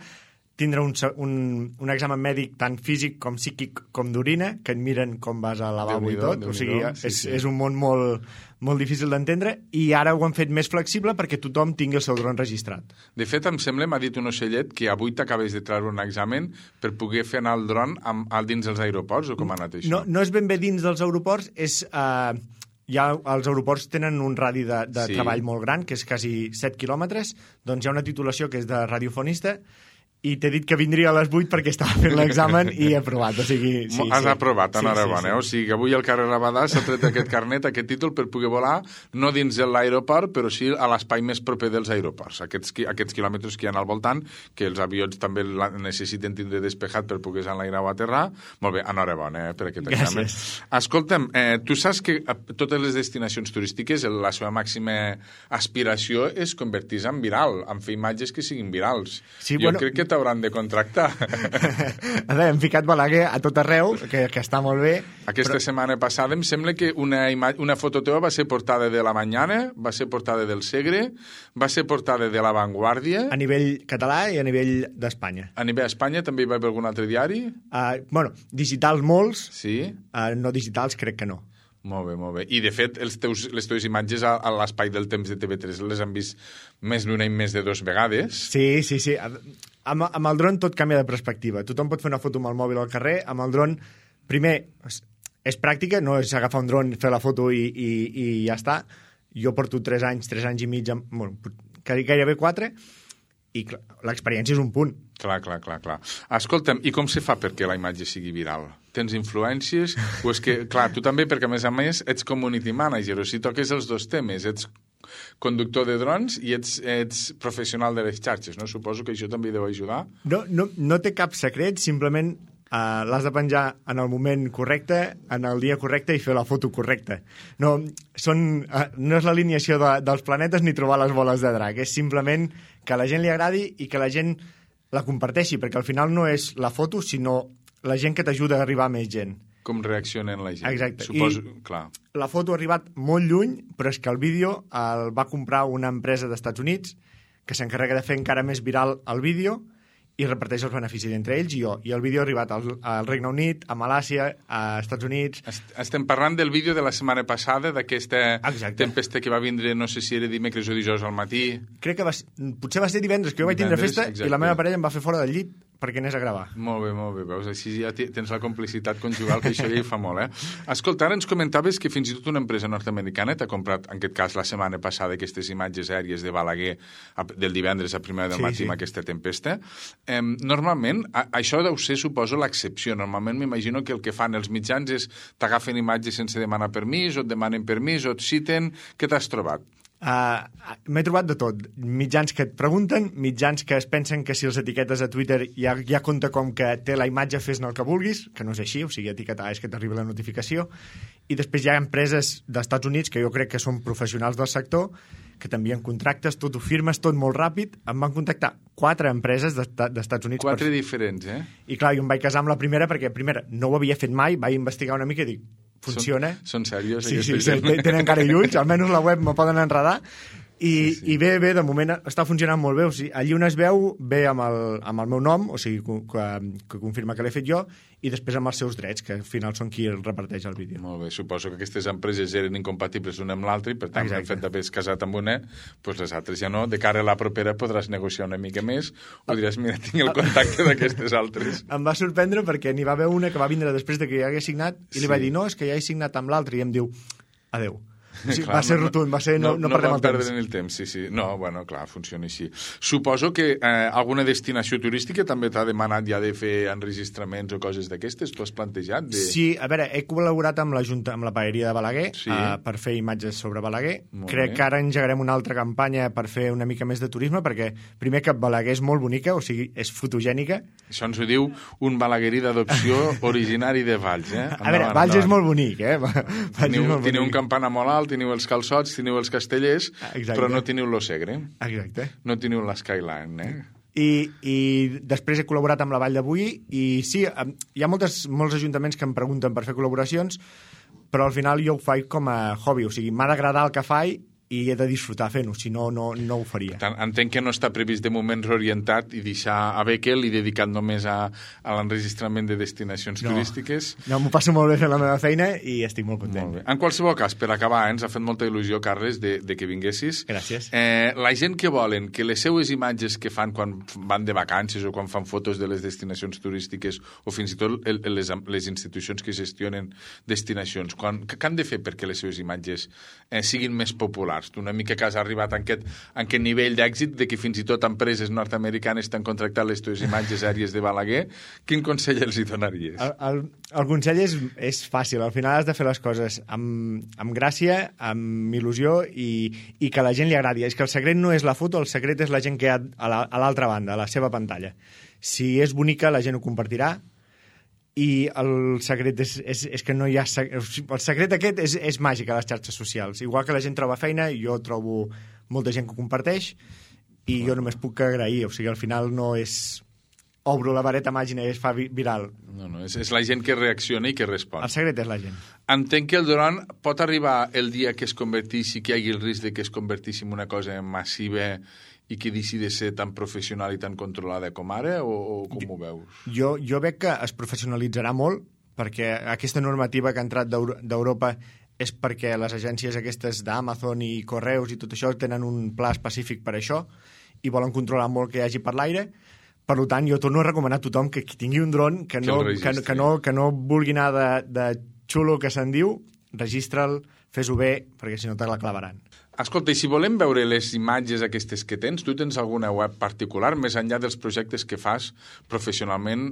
tindre un examen mèdic tant físic com psíquic com d'orina, que et miren com vas al lavabo i tot. O sigui, és un món molt difícil d'entendre, i ara ho han fet més flexible perquè tothom tingui el seu dron registrat. De fet, em sembla, m'ha dit un ocellet, que avui t'acabes de treure un examen per poder fer anar el dron dins dels aeroports, o com ha anat això? No és ben bé dins dels aeroports, és... els aeroports tenen un radi de treball molt gran, que és quasi 7 quilòmetres, doncs hi ha una titulació que és de radiofonista, i t'he dit que vindria a les 8 perquè estava fent l'examen i he aprovat, o sigui... Has aprovat, enhorabona, o sigui que avui al carrer Rabadà s'ha tret aquest carnet, aquest títol, per poder volar, no dins de l'aeroport, però sí a l'espai més proper dels aeroports, aquests quilòmetres que hi ha al voltant, que els avions també necessiten tindre despejat per poder enlairar o aterrar. Molt bé, enhorabona per aquest examen. Escolta'm, tu saps que totes les destinacions turístiques, la seva màxima aspiració és convertir-se en viral, en fer imatges que siguin virals. Jo crec que t'hauran de contractar. Hem ficat Balaguer a tot arreu, que està molt bé. Aquesta setmana passada em sembla que una foto teva va ser portada de La Mañana, va ser portada del Segre, va ser portada de La Vanguardia... A nivell català i a nivell d'Espanya. A nivell d'Espanya també hi va haver algun altre diari? Digitals molts, sí? No digitals crec que no. Molt bé. I, de fet, les teves imatges a l'Espai del Temps de TV3 les han vist més d'una i més de 2 vegades. Sí. Amb el dron tot canvia de perspectiva. Tothom pot fer una foto amb el mòbil al carrer. Amb el dron, primer, és pràctica, no és agafar un dron, fer la foto i ja està. Jo porto 3 anys i mig, gairebé 4, i l'experiència és un punt. Clar. Escolta'm, i com se fa perquè la imatge sigui viral? Tens influències? O és que, clar, tu també, perquè a més ets community manager, o si toques els dos temes, ets conductor de drons i ets professional de les xarxes, no? Suposo que això també deu ajudar. No té cap secret, simplement l'has de penjar en el moment correcte, en el dia correcte i fer la foto correcta. No és l'alineació dels planetes ni trobar les boles de drac, és simplement que a la gent li agradi i que la gent la comparteixi, perquè al final no és la foto, sinó la gent que t'ajuda a arribar a més gent. Com reaccionen la gent. Exacte. Suposo, clar. La foto ha arribat molt lluny, però és que el vídeo el va comprar una empresa d'Estats Units que s'encarrega de fer encara més viral el vídeo i reparteix els beneficis entre ells i jo. I el vídeo ha arribat al Regne Unit, a Malàisia, a Estats Units... Estem parlant del vídeo de la setmana passada, d'aquesta tempesta que va vindre, no sé si era dimecres o dijous al matí. Crec que potser va ser divendres, que jo vaig tindre festa i la meva parella em va fer fora del llit perquè anés a gravar. Molt bé. Veus, així ja tens la complicitat conjugal, que això ja hi fa molt, Escolta, ara ens comentaves que fins i tot una empresa nord-americana t'ha comprat, en aquest cas, la setmana passada, aquestes imatges aèries de Balaguer del divendres a primera del matí amb aquesta tempesta. Normalment, això deu ser, suposo, l'excepció. Normalment m'imagino que el que fan els mitjans és t'agafen imatges sense demanar permís, o et demanen permís, o et citen. Què t'has trobat? M'he trobat de tot. Mitjans que et pregunten, mitjans que es pensen que si els etiquetes a Twitter ja compta com que té la imatge, fes-ne el que vulguis, que no és així, o sigui, etiquetar és que t'arriba la notificació. I després hi ha empreses d'Estats Units que jo crec que són professionals del sector, que t'envien contractes, tot ho firmes, tot molt ràpid. Em van contactar 4 empreses d'Estats Units. 4 diferents, I clar, jo em vaig casar amb la primera perquè, primera, no ho havia fet mai, vaig investigar una mica i dic, funciona. Són serios? Sí, tenen cara i ulls, almenys la web me poden enredar, I bé, de moment està funcionant molt bé. O sigui, allí on es veu, ve amb el meu nom, o sigui, que confirma que l'he fet jo, i després amb els seus drets, que al final són qui el reparteix el vídeo. Molt bé, suposo que aquestes empreses eren incompatibles una amb l'altra i per tant, el fet d'haver casat amb una, doncs les altres ja no. De cara a la propera podràs negociar una mica més o diràs, mira, tinc el contacte d'aquestes altres. Em va sorprendre perquè n'hi va haver una que va vindre després de que ja hagués signat i li vaig dir, no, és que ja he signat amb l'altre, i em diu, adeu. Sí, clar, va ser rotund, va ser no perdem el temps. No el temps, sí. No, bueno, clar, funciona així. Suposo que alguna destinació turística també t'ha demanat ja de fer enregistraments o coses d'aquestes? Tu has plantejat? Sí, a veure, he col·laborat amb la paeria de Balaguer per fer imatges sobre Balaguer. Crec que ara engegarem una altra campanya per fer una mica més de turisme, perquè primer que Balaguer és molt bonica, o sigui, és fotogènica. Això ens ho diu un balaguerí d'adopció originari de Valls, A veure, Valls és molt bonic, Teniu un campanar molt alt, teniu els calçots, teniu els castellers, però no teniu lo Segre. Exacte. No teniu l'Skyline, I després he col·laborat amb la Vall de Boí i sí, hi ha molts ajuntaments que em pregunten per fer col·laboracions, però al final jo ho faig com a hobby, o sigui, m'ha d'agradar el que faig i he de disfrutar fent-ho, si no, no ho faria. Entenc que no està previst de moment reorientat i deixar a Bekel i dedicat només a l'enregistrament de destinacions turístiques. No, m'ho passo molt bé fent la meva feina i estic molt content. Molt bé. En qualsevol cas, per acabar, ens ha fet molta il·lusió, Carles, de que vinguessis. Gràcies. La gent que volen que les seues imatges que fan quan van de vacances o quan fan fotos de les destinacions turístiques o fins i tot les institucions que gestionen destinacions, què han de fer perquè les seues imatges siguin més populars? Tu una mica que has arribat a aquest nivell d'èxit de que fins i tot empreses nord-americanes t'han contractat les teves imatges aèries de Balaguer. Quin consell els hi donaries? El consell és fàcil. Al final has de fer les coses amb gràcia, amb il·lusió i que a la gent li agradi. És que el secret no és la foto, el secret és la gent que hi ha a l'altra banda, a la seva pantalla. Si és bonica, la gent ho compartirà, i el secret és que no hi ha... El secret aquest és màgic a les xarxes socials. Igual que la gent troba feina, jo trobo molta gent que ho comparteix i jo només puc agrair. O sigui, al final no és... Obro la vareta màgica i es fa viral. No, és la gent que reacciona i que respon. El secret és la gent. Entenc que el dron pot arribar el dia que es converteixi, que hi hagi el risc de que es converteixi en una cosa massiva i que deixi de ser tan professional i tan controlada com ara, o com ho veus? Jo veig que es professionalitzarà molt, perquè aquesta normativa que ha entrat d'Europa és perquè les agències aquestes d'Amazon i Correus i tot això tenen un pla específic per això i volen controlar molt que hi hagi per l'aire. Per tant, jo torno a recomanar a tothom que tingui un dron, que no vulgui anar de xulo que se'n diu, registra'l, fes-ho bé, perquè si no te la clavaran. Escolta, i si volem veure les imatges aquestes que tens, tu tens alguna web particular, més enllà dels projectes que fas professionalment?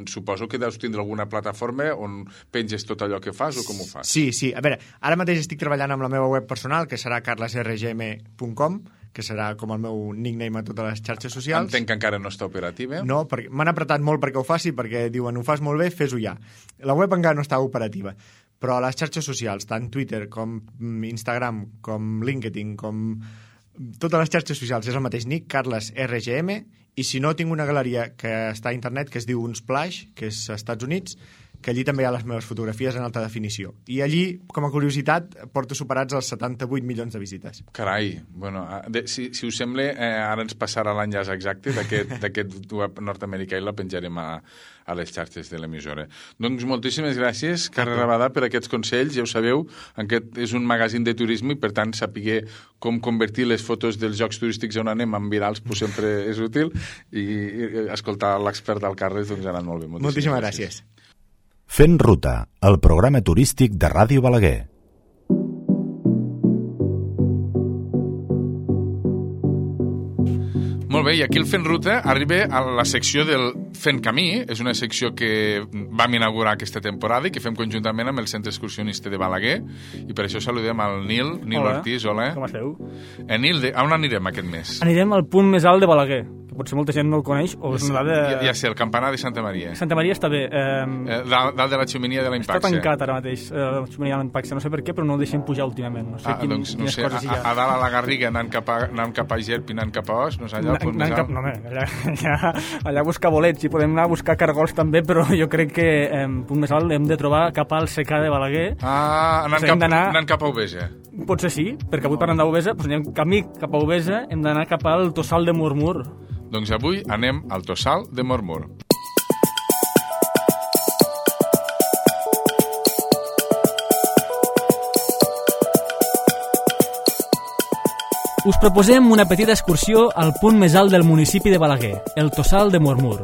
Suposo que deus tindre alguna plataforma on penges tot allò que fas o com ho fas? Sí. A veure, ara mateix estic treballant amb la meva web personal, que serà carlesrgm.com, que serà com el meu nickname a totes les xarxes socials. Entenc que encara no està operativa. No, perquè m'han apretat molt perquè ho faci, perquè diuen, ho fas molt bé, fes-ho ja. La web encara no està operativa, però a les xarxes socials, tant Twitter com Instagram, com LinkedIn, com totes les xarxes socials, és el mateix nick, carlesrgm, i si no, tinc una galeria que està a internet que es diu Unsplash, que és als Estats Units, que allí també hi ha les meves fotografies en alta definició. I allí, com a curiositat, porto superats els 78 milions de visites. Carai, bueno, si us sembla, ara ens passarà l'enllaç exacte d'aquest web nord-americà i la penjarem a les xarxes de l'emissora. Doncs moltíssimes gràcies, Carles Rabadà, per aquests consells. Ja ho sabeu, aquest és un magazín de turisme i, per tant, saber com convertir les fotos dels llocs turístics on anem en virals pues, sempre és útil i escoltar l'expert del Carles doncs ha anat molt bé. Moltíssimes gràcies. Fent Ruta, el programa turístic de Ràdio Balaguer. Molt bé, i aquí el Fent Ruta arriba a la secció del Fent Camí. És una secció que vam inaugurar aquesta temporada i que fem conjuntament amb el Centre Excursionista de Balaguer, i per això saludem al Nil Ortiz. Hola. Com esteu? Nil, on anirem aquest mes? Anirem al punt més alt de Balaguer, que potser molta gent no el coneix, o és una dada... Ja sé, el campanar de Santa Maria. Santa Maria està bé. Dalt de la xemenia de l'Impaxe. Està tancat ara mateix, la xemenia de l'Impaxe. No sé per què, però no el deixen pujar últimament. No sé doncs, no sé, a dalt a la Garriga, anant cap a Gerp i anant cap a Os, no sé, allà al punt més alt. No, allà buscar bolets, i podem anar a buscar cargols també, però jo crec que punt més alt hem de trobar cap al secà de Balaguer. Anant cap a Ubesa. Potser sí, perquè avui parlant d'Ubesa, doncs anem camí cap a Ubesa, hem d'anar cap al Tossal de Mormur. Doncs avui anem al Tossal de Mormur. Us proposem una petita excursió al punt més alt del municipi de Balaguer, el Tossal de Mormur.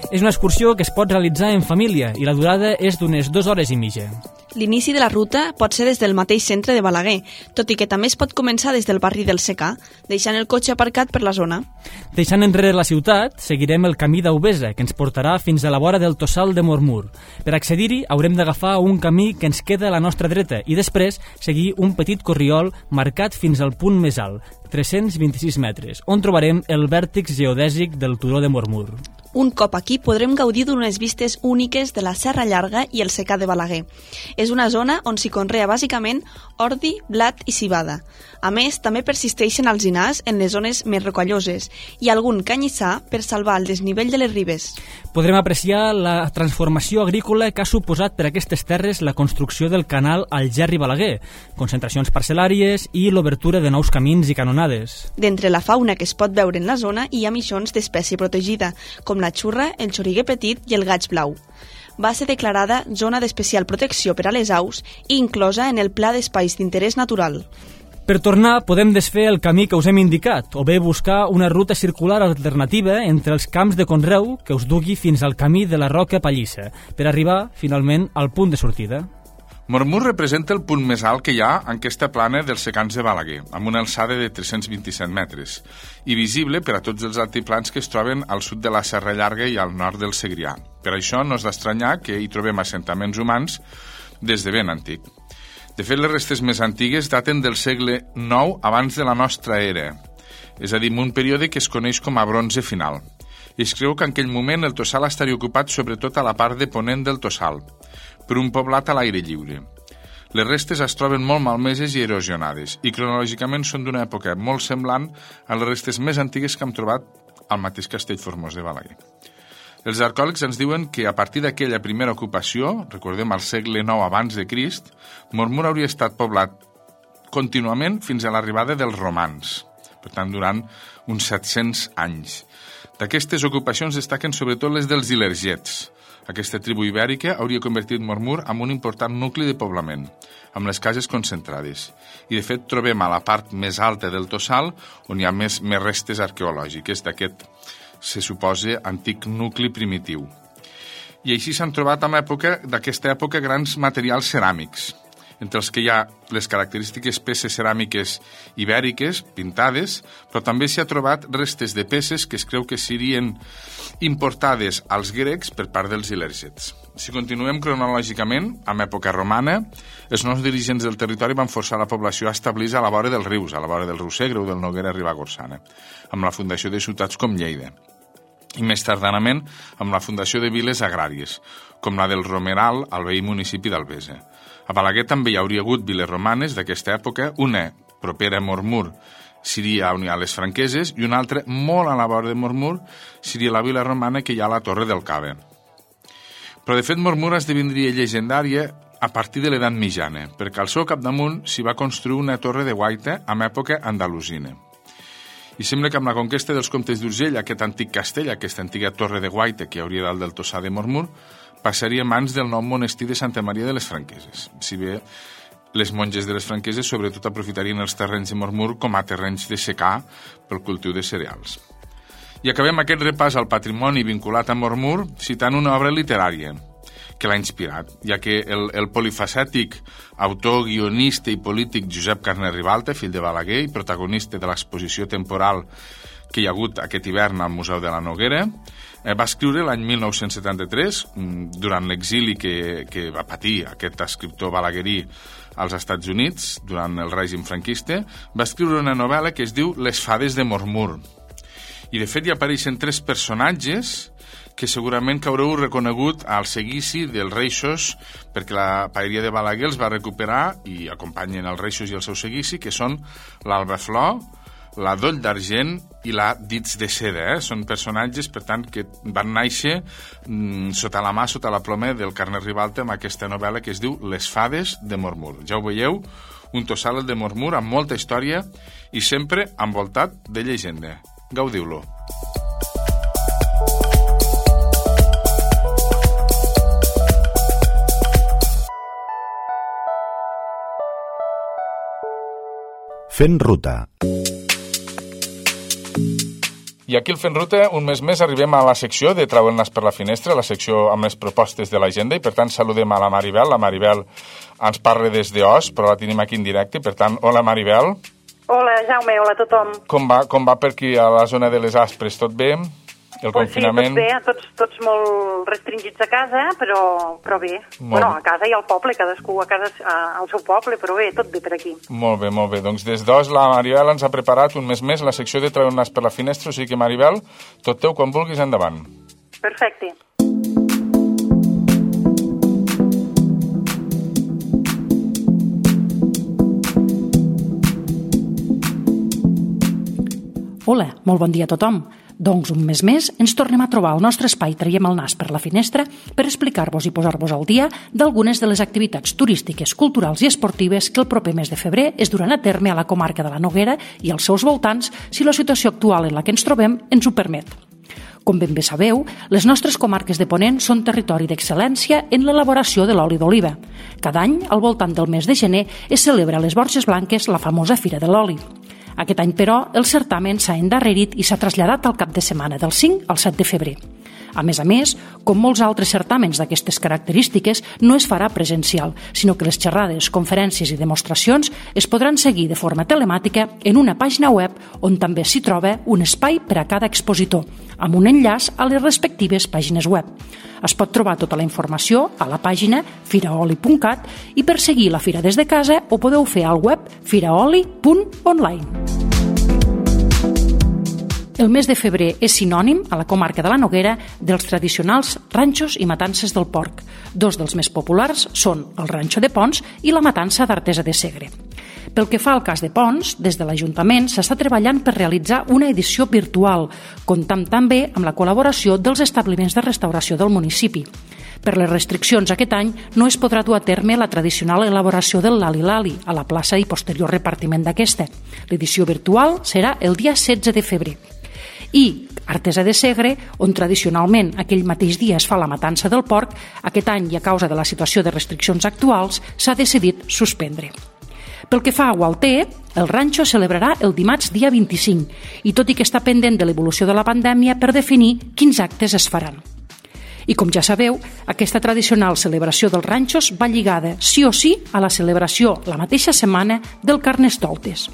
És una excursió que es pot realitzar en família i la durada és d'unes 2 hores i mitja. L'inici de la ruta pot ser des del mateix centre de Balaguer, tot i que també es pot començar des del barri del Secà, deixant el cotxe aparcat per la zona. Deixant enrere la ciutat, seguirem el camí d'Ubesa, que ens portarà fins a la vora del Tossal de Mormur. Per accedir-hi haurem d'agafar un camí que ens queda a la nostra dreta i després seguir un petit corriol marcat fins al punt més alt, 326 metres, on trobarem el vèrtex geodèsic del turó de Mormur. Un cop aquí podrem gaudir d'unes vistes úniques de la Serra Llarga i el secà de Balaguer. És una zona on s'hi conrea bàsicament ordi, blat i civada. A més, també persisteixen alzinars en les zones més rocalloses i algun canyissar per salvar el desnivell de les ribes. Podrem apreciar la transformació agrícola que ha suposat per aquestes terres la construcció del canal Algerri-Balaguer, concentracions parcel·làries i l'obertura de nous camins i canonades. D'entre la fauna que es pot veure en la zona hi ha mixons d'espècie protegida, com la xurra, el xoriguer petit i el gaig blau. Va ser declarada zona d'especial protecció per a les aus i inclosa en el Pla d'Espais d'Interès Natural. Per tornar, podem desfer el camí que us hem indicat, o bé buscar una ruta circular alternativa entre els camps de conreu que us dugui fins al camí de la Roca Pallissa, per arribar, finalment, al punt de sortida. Mormur representa el punt més alt que hi ha en aquesta plana dels secans de Balaguer, amb una alçada de 327 metres, i visible per a tots els altiplans que es troben al sud de la Serra Llarga i al nord del Segrià. Per això no és d'estranyar que hi trobem assentaments humans des de ben antic. De fet, les restes més antigues daten del segle IX abans de la nostra era, és a dir, un període que es coneix com a bronze final. I es creu que en aquell moment el Tossal estaria ocupat sobretot a la part de ponent del Tossal, per un poblat a l'aire lliure. Les restes es troben molt malmeses i erosionades i cronològicament són d'una època molt semblant a les restes més antigues que hem trobat al mateix Castell Formós de Balaguer. Els arqueòlegs ens diuen que a partir d'aquella primera ocupació, recordem al segle IX abans de Crist, Mormur hauria estat poblat contínuament fins a l'arribada dels romans, per tant durant uns 700 anys. D'aquestes ocupacions destaquen sobretot les dels ilergets. Aquesta tribu ibèrica hauria convertit Mormur en un important nucli de poblament, amb les cases concentrades. I, de fet, trobem a la part més alta del Tossal on hi ha més restes arqueològiques d'aquest, se suposa, antic nucli primitiu. I així s'han trobat d'aquesta època grans materials ceràmics, entre els que hi ha les característiques peces ceràmiques ibèriques, pintades, però també s'hi ha trobat restes de peces que es creu que serien importades als grecs per part dels ilergets. Si continuem cronològicament, en època romana, els nous dirigents del territori van forçar la població a establir-se a la vora dels rius, a la vora del riu Segre o del Noguera Ribagorçana, amb la fundació de ciutats com Lleida. I més tardanament amb la fundació de viles agràries, com la del Romeral al veí municipi d'Albesa. A Balaguer també hi hauria hagut viles romanes d'aquesta època, una propera a Mormur seria on hi ha les Franqueses i una altra molt a la vora de Mormur seria la vila romana que hi ha a la Torre del Cave. Però de fet Mormur esdevindria llegendària a partir de l'edat mitjana, perquè al seu capdamunt s'hi va construir una torre de guaita amb època andalusina. I sembla que amb la conquesta dels comtes d'Urgell, aquest antic castell, aquesta antiga torre de guaita que hi hauria dalt del Tossal de Mormur, passaria a mans del nou monestir de Santa Maria de les Franqueses. Si bé les monges de les Franqueses sobretot aprofitarien els terrenys de Mormur com a terrenys de secà pel cultiu de cereals. I acabem aquest repàs al patrimoni vinculat a Mormur citant una obra literària que l'ha inspirat, ja que el polifacètic autor, guionista i polític Josep Carner Ribalta, fill de Balaguer i protagonista de l'exposició temporal que hi ha hagut aquest hivern al Museu de la Noguera, va escriure l'any 1973, durant l'exili que va patir aquest escriptor balaguerí als Estats Units, durant el règim franquista, va escriure una novel·la que es diu Les fades de Mormur. I de fet hi apareixen 3 personatges que segurament que haureu reconegut al seguici dels Reixos, perquè la paeria de Balaguer els va recuperar i acompanyen els Reixos i el seu seguici, que són l'Alba Flor, la Doll d'Argent i la Dits de Seda. Són personatges, per tant, que van néixer sota la mà, sota la ploma del Carner Ribalta amb aquesta novel·la que es diu Les Fades de Mormur. Ja ho veieu, un tossal de Mormur amb molta història i sempre envoltat de llegenda. Gaudiu-lo. Fent ruta. I aquí al Fent Ruta, un mes més, arribem a la secció de Treu el nas per la finestra, la secció amb les propostes de l'agenda, i per tant saludem a la Maribel. La Maribel ens parla des d'Os, però la tenim aquí en directe, per tant, hola Maribel. Hola Jaume, hola a tothom. Com va per aquí a la zona de les Aspres? Tot bé? El confinament? Sí, tot bé, tots molt restringits a casa, però bé. Bueno, a casa i al poble, cadascú a casa al seu poble, però bé, tot bé per aquí. Molt bé. Doncs des d'Os la Maribel ens ha preparat un mes més la secció de Treu el nas per la finestra, o sigui que Maribel, tot teu quan vulguis endavant. Perfecte. Hola, molt bon dia a tothom. Doncs un mes més ens tornem a trobar al nostre espai Traiem el nas per la finestra per explicar-vos i posar-vos al dia d'algunes de les activitats turístiques, culturals i esportives que el proper mes de febrer es duran a terme a la comarca de la Noguera i als seus voltants si la situació actual en la que ens trobem ens ho permet. Com ben bé sabeu, les nostres comarques de Ponent són territori d'excel·lència en l'elaboració de l'oli d'oliva. Cada any, al voltant del mes de gener, es celebra a les Borges Blanques la famosa Fira de l'Oli. Aquest any, però, el certamen s'ha endarrerit i s'ha traslladat al cap de setmana del 5 al 7 de febrer. A més, com molts altres certàmens d'aquestes característiques, no es farà presencial, sinó que les xerrades, conferències i demostracions es podran seguir de forma telemàtica en una pàgina web on també s'hi troba un espai per a cada expositor, amb un enllaç a les respectives pàgines web. Es pot trobar tota la informació a la pàgina firaoli.cat i per seguir la fira des de casa ho podeu fer al web firaoli.online. El mes de febrer és sinònim, a la comarca de la Noguera, dels tradicionals ranxos i matances del porc. Dos dels més populars són el ranxo de Ponts i la matança d'Artesa de Segre. Pel que fa al cas de Ponts, des de l'Ajuntament s'està treballant per realitzar una edició virtual, comptant també amb la col·laboració dels establiments de restauració del municipi. Per les restriccions aquest any no es podrà dur a terme la tradicional elaboració del lali-lali a la plaça i posterior repartiment d'aquesta. L'edició virtual serà el dia 16 de febrer. I Artesa de Segre, on tradicionalment aquell mateix dia es fa la matança del porc, aquest any i a causa de la situació de restriccions actuals s'ha decidit suspendre. Pel que fa a Gualter, el ranxo celebrarà el dimarts dia 25 i tot i que està pendent de l'evolució de la pandèmia per definir quins actes es faran. I com ja sabeu, aquesta tradicional celebració dels ranxos va lligada sí o sí a la celebració la mateixa setmana del Carnestoltes.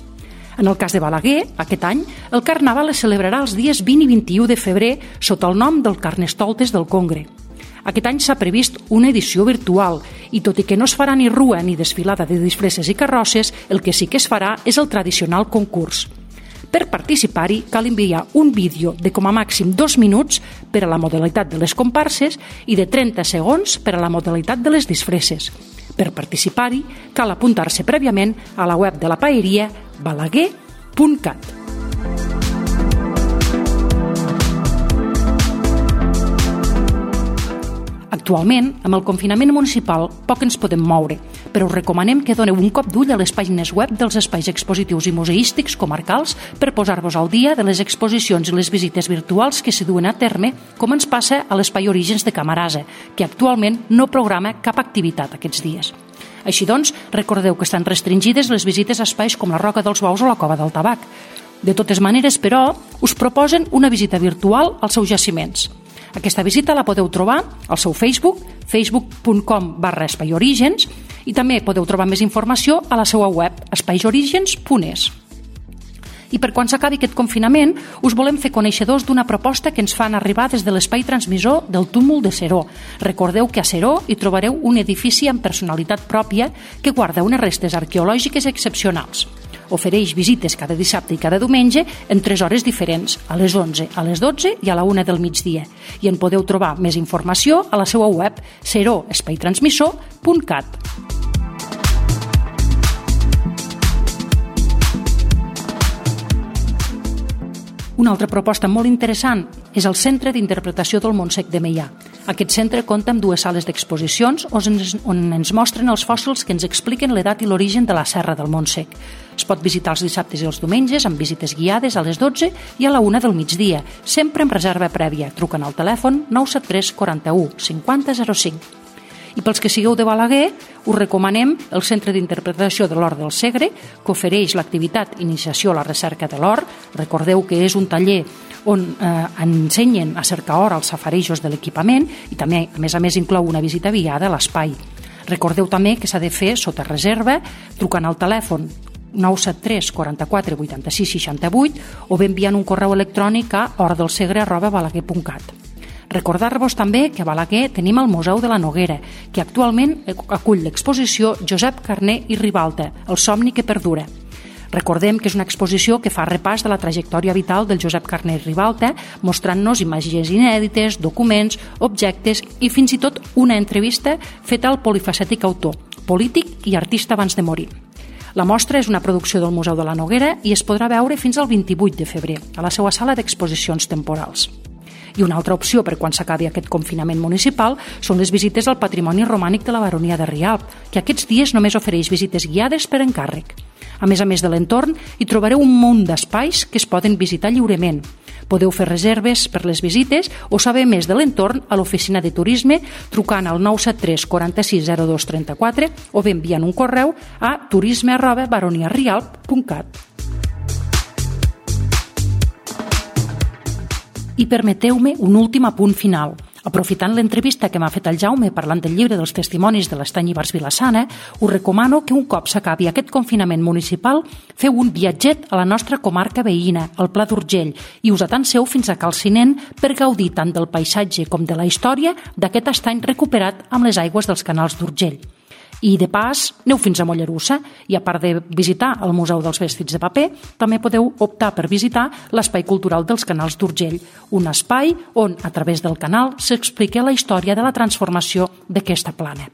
En el cas de Balaguer, aquest any, el Carnaval es celebrarà els dies 20 i 21 de febrer sota el nom del Carnestoltes del Congre. Aquest any s'ha previst una edició virtual i tot i que no es farà ni rua ni desfilada de disfresses i carrosses, el que sí que es farà és el tradicional concurs. Per participar-hi cal enviar un vídeo de com a màxim 2 minuts per a la modalitat de les comparses i de 30 segons per a la modalitat de les disfresses. Per participar-hi cal apuntar-se prèviament a la web de la paeria balaguer.cat. Actualment, amb el confinament municipal, poc ens podem moure, però us recomanem que doneu un cop d'ull a les pàgines web dels espais expositius i museístics comarcals per posar-vos al dia de les exposicions i les visites virtuals que s'hi duen a terme, com ens passa a l'Espai Orígens de Camarasa, que actualment no programa cap activitat aquests dies. Així doncs, recordeu que estan restringides les visites a espais com la Roca dels Bous o la Cova del Tabac. De totes maneres, però, us proposen una visita virtual als seus jaciments. Aquesta visita la podeu trobar al seu Facebook, facebook.com/espaiorigens, i també podeu trobar més informació a la seva web, espaiorigens.es. I per quan s'acabi aquest confinament, us volem fer coneixedors d'una proposta que ens fan arribar des de l'espai transmissor del túmul de Seró. Recordeu que a Seró hi trobareu un edifici amb personalitat pròpia que guarda unes restes arqueològiques excepcionals. Ofereix visites cada dissabte i cada diumenge en 3 hores diferents, a les 11, a les 12 i a la 1 del migdia. I en podeu trobar més informació a la seva web seró-espaitransmissor.cat. Una altra proposta molt interessant és el Centre d'Interpretació del Montsec de Meià. Aquest centre compta amb 2 sales d'exposicions on ens mostren els fòssils que ens expliquen l'edat i l'origen de la Serra del Montsec. Es pot visitar els dissabtes i els diumenges amb visites guiades a les 12 i a la 1 del migdia, sempre amb reserva prèvia. Truquen al telèfon 973 41 50 05. I pels que sigueu de Balaguer, us recomanem el Centre d'Interpretació de l'Or del Segre, que ofereix l'activitat Iniciació a la Recerca de l'Or. Recordeu que és un taller on ensenyen a cercar or als safarejos de l'equipament i també, a més, inclou una visita guiada a l'espai. Recordeu també que s'ha de fer sota reserva, trucant al telèfon 973 44 86 68 o bé enviant un correu electrònic a ordelsegre@balaguer.cat. Recordar-vos també que a Balaguer tenim el Museu de la Noguera, que actualment acull l'exposició Josep Carner i Ribalta, el somni que perdura. Recordem que és una exposició que fa repàs de la trajectòria vital del Josep Carner i Ribalta, mostrant-nos imatges inèdites, documents, objectes i fins i tot una entrevista feta al polifacètic autor, polític i artista abans de morir. La mostra és una producció del Museu de la Noguera i es podrà veure fins al 28 de febrer a la seva sala d'exposicions temporals. I una altra opció per quan s'acabi aquest confinament municipal són les visites al patrimoni romànic de la Baronia de Rialp, que aquests dies només ofereix visites guiades per encàrrec. A més de l'entorn, hi trobareu un munt d'espais que es poden visitar lliurement. Podeu fer reserves per les visites o saber més de l'entorn a l'oficina de turisme trucant al 973 46 02 34 o bé enviant un correu a turisme@baroniarialp.cat. I permeteu-me un últim apunt final. Aprofitant l'entrevista que m'ha fet el Jaume parlant del llibre dels testimonis de l'Estany Ibars-Vilassana, us recomano que un cop s'acabi aquest confinament municipal feu un viatget a la nostra comarca veïna, al Pla d'Urgell, i us atanseu fins a Calcinent per gaudir tant del paisatge com de la història d'aquest estany recuperat amb les aigües dels canals d'Urgell. I de pas, aneu fins a Mollerussa i a part de visitar el Museu dels Vestits de Paper, també podeu optar per visitar l'Espai Cultural dels Canals d'Urgell, un espai on, a través del canal, s'explica la història de la transformació d'aquesta plana.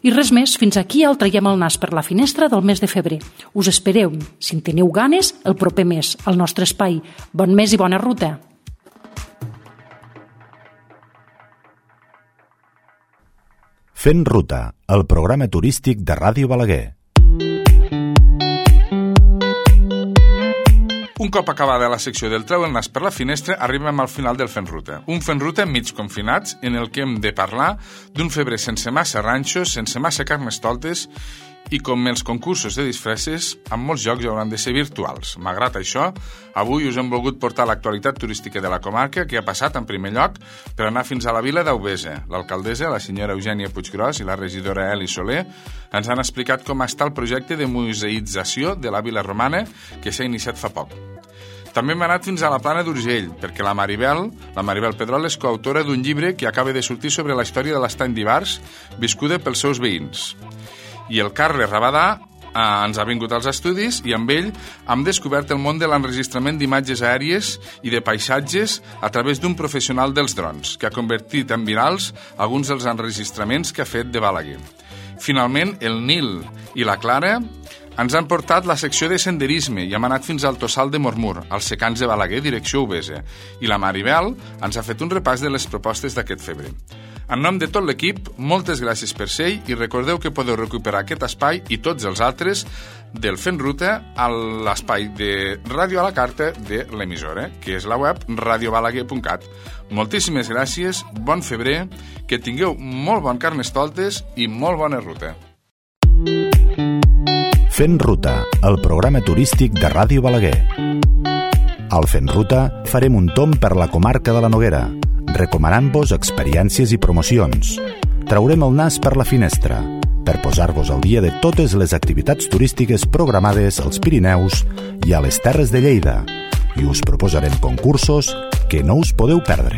I res més, fins aquí el traiem el nas per la finestra del mes de febrer. Us espereu, si en teniu ganes, el proper mes, al nostre espai. Bon mes i bona ruta! Fent Ruta, el programa turístic de Ràdio Balaguer. Un cop acabada la secció del Treu el nas per la finestra, arribem al final del Fent Ruta. Un Fent Ruta mig confinats en el que hem de parlar d'un febrer sense massa ranxos, sense massa carnestoltes i com els concursos de disfresses, amb molts jocs hauran de ser virtuals. Malgrat això, avui us hem volgut portar l'actualitat turística de la comarca que ha passat en primer lloc per anar fins a la vila d'Aubesa. L'alcaldessa, la senyora Eugènia Puiggròs i la regidora Eli Soler ens han explicat com està el projecte de museïtzació de la vila romana que s'ha iniciat fa poc. També hem anat fins a la Plana d'Urgell, perquè la Maribel Pedrol és coautora d'un llibre que acaba de sortir sobre la història de l'Estany d'Ibars, viscuda pels seus veïns. I el Carles Rabadà ens ha vingut als estudis i amb ell hem descobert el món de l'enregistrament d'imatges aèries i de paisatges a través d'un professional dels drons, que ha convertit en virals alguns dels enregistraments que ha fet de Balaguer. Finalment, el Nil i la Clara ens han portat la secció de senderisme i hem anat fins al Tossal de Mormur, als secans de Balaguer, direcció Aubesa. I la Maribel ens ha fet un repàs de les propostes d'aquest febrer. En nom de tot l'equip, moltes gràcies per ser-hi i recordeu que podeu recuperar aquest espai i tots els altres del Fent Ruta a l'espai de Ràdio a la Carta de l'emissora, que és la web radiobalaguer.cat. Moltíssimes gràcies, bon febrer, que tingueu molt bon carnestoltes i molt bona ruta. Fent Ruta, el programa turístic de Ràdio Balaguer. Al Fent Ruta farem un tomb per la comarca de la Noguera, recomanant-vos experiències i promocions. Traurem el nas per la finestra per posar-vos al dia de totes les activitats turístiques programades als Pirineus i a les Terres de Lleida i us proposarem concursos que no us podeu perdre.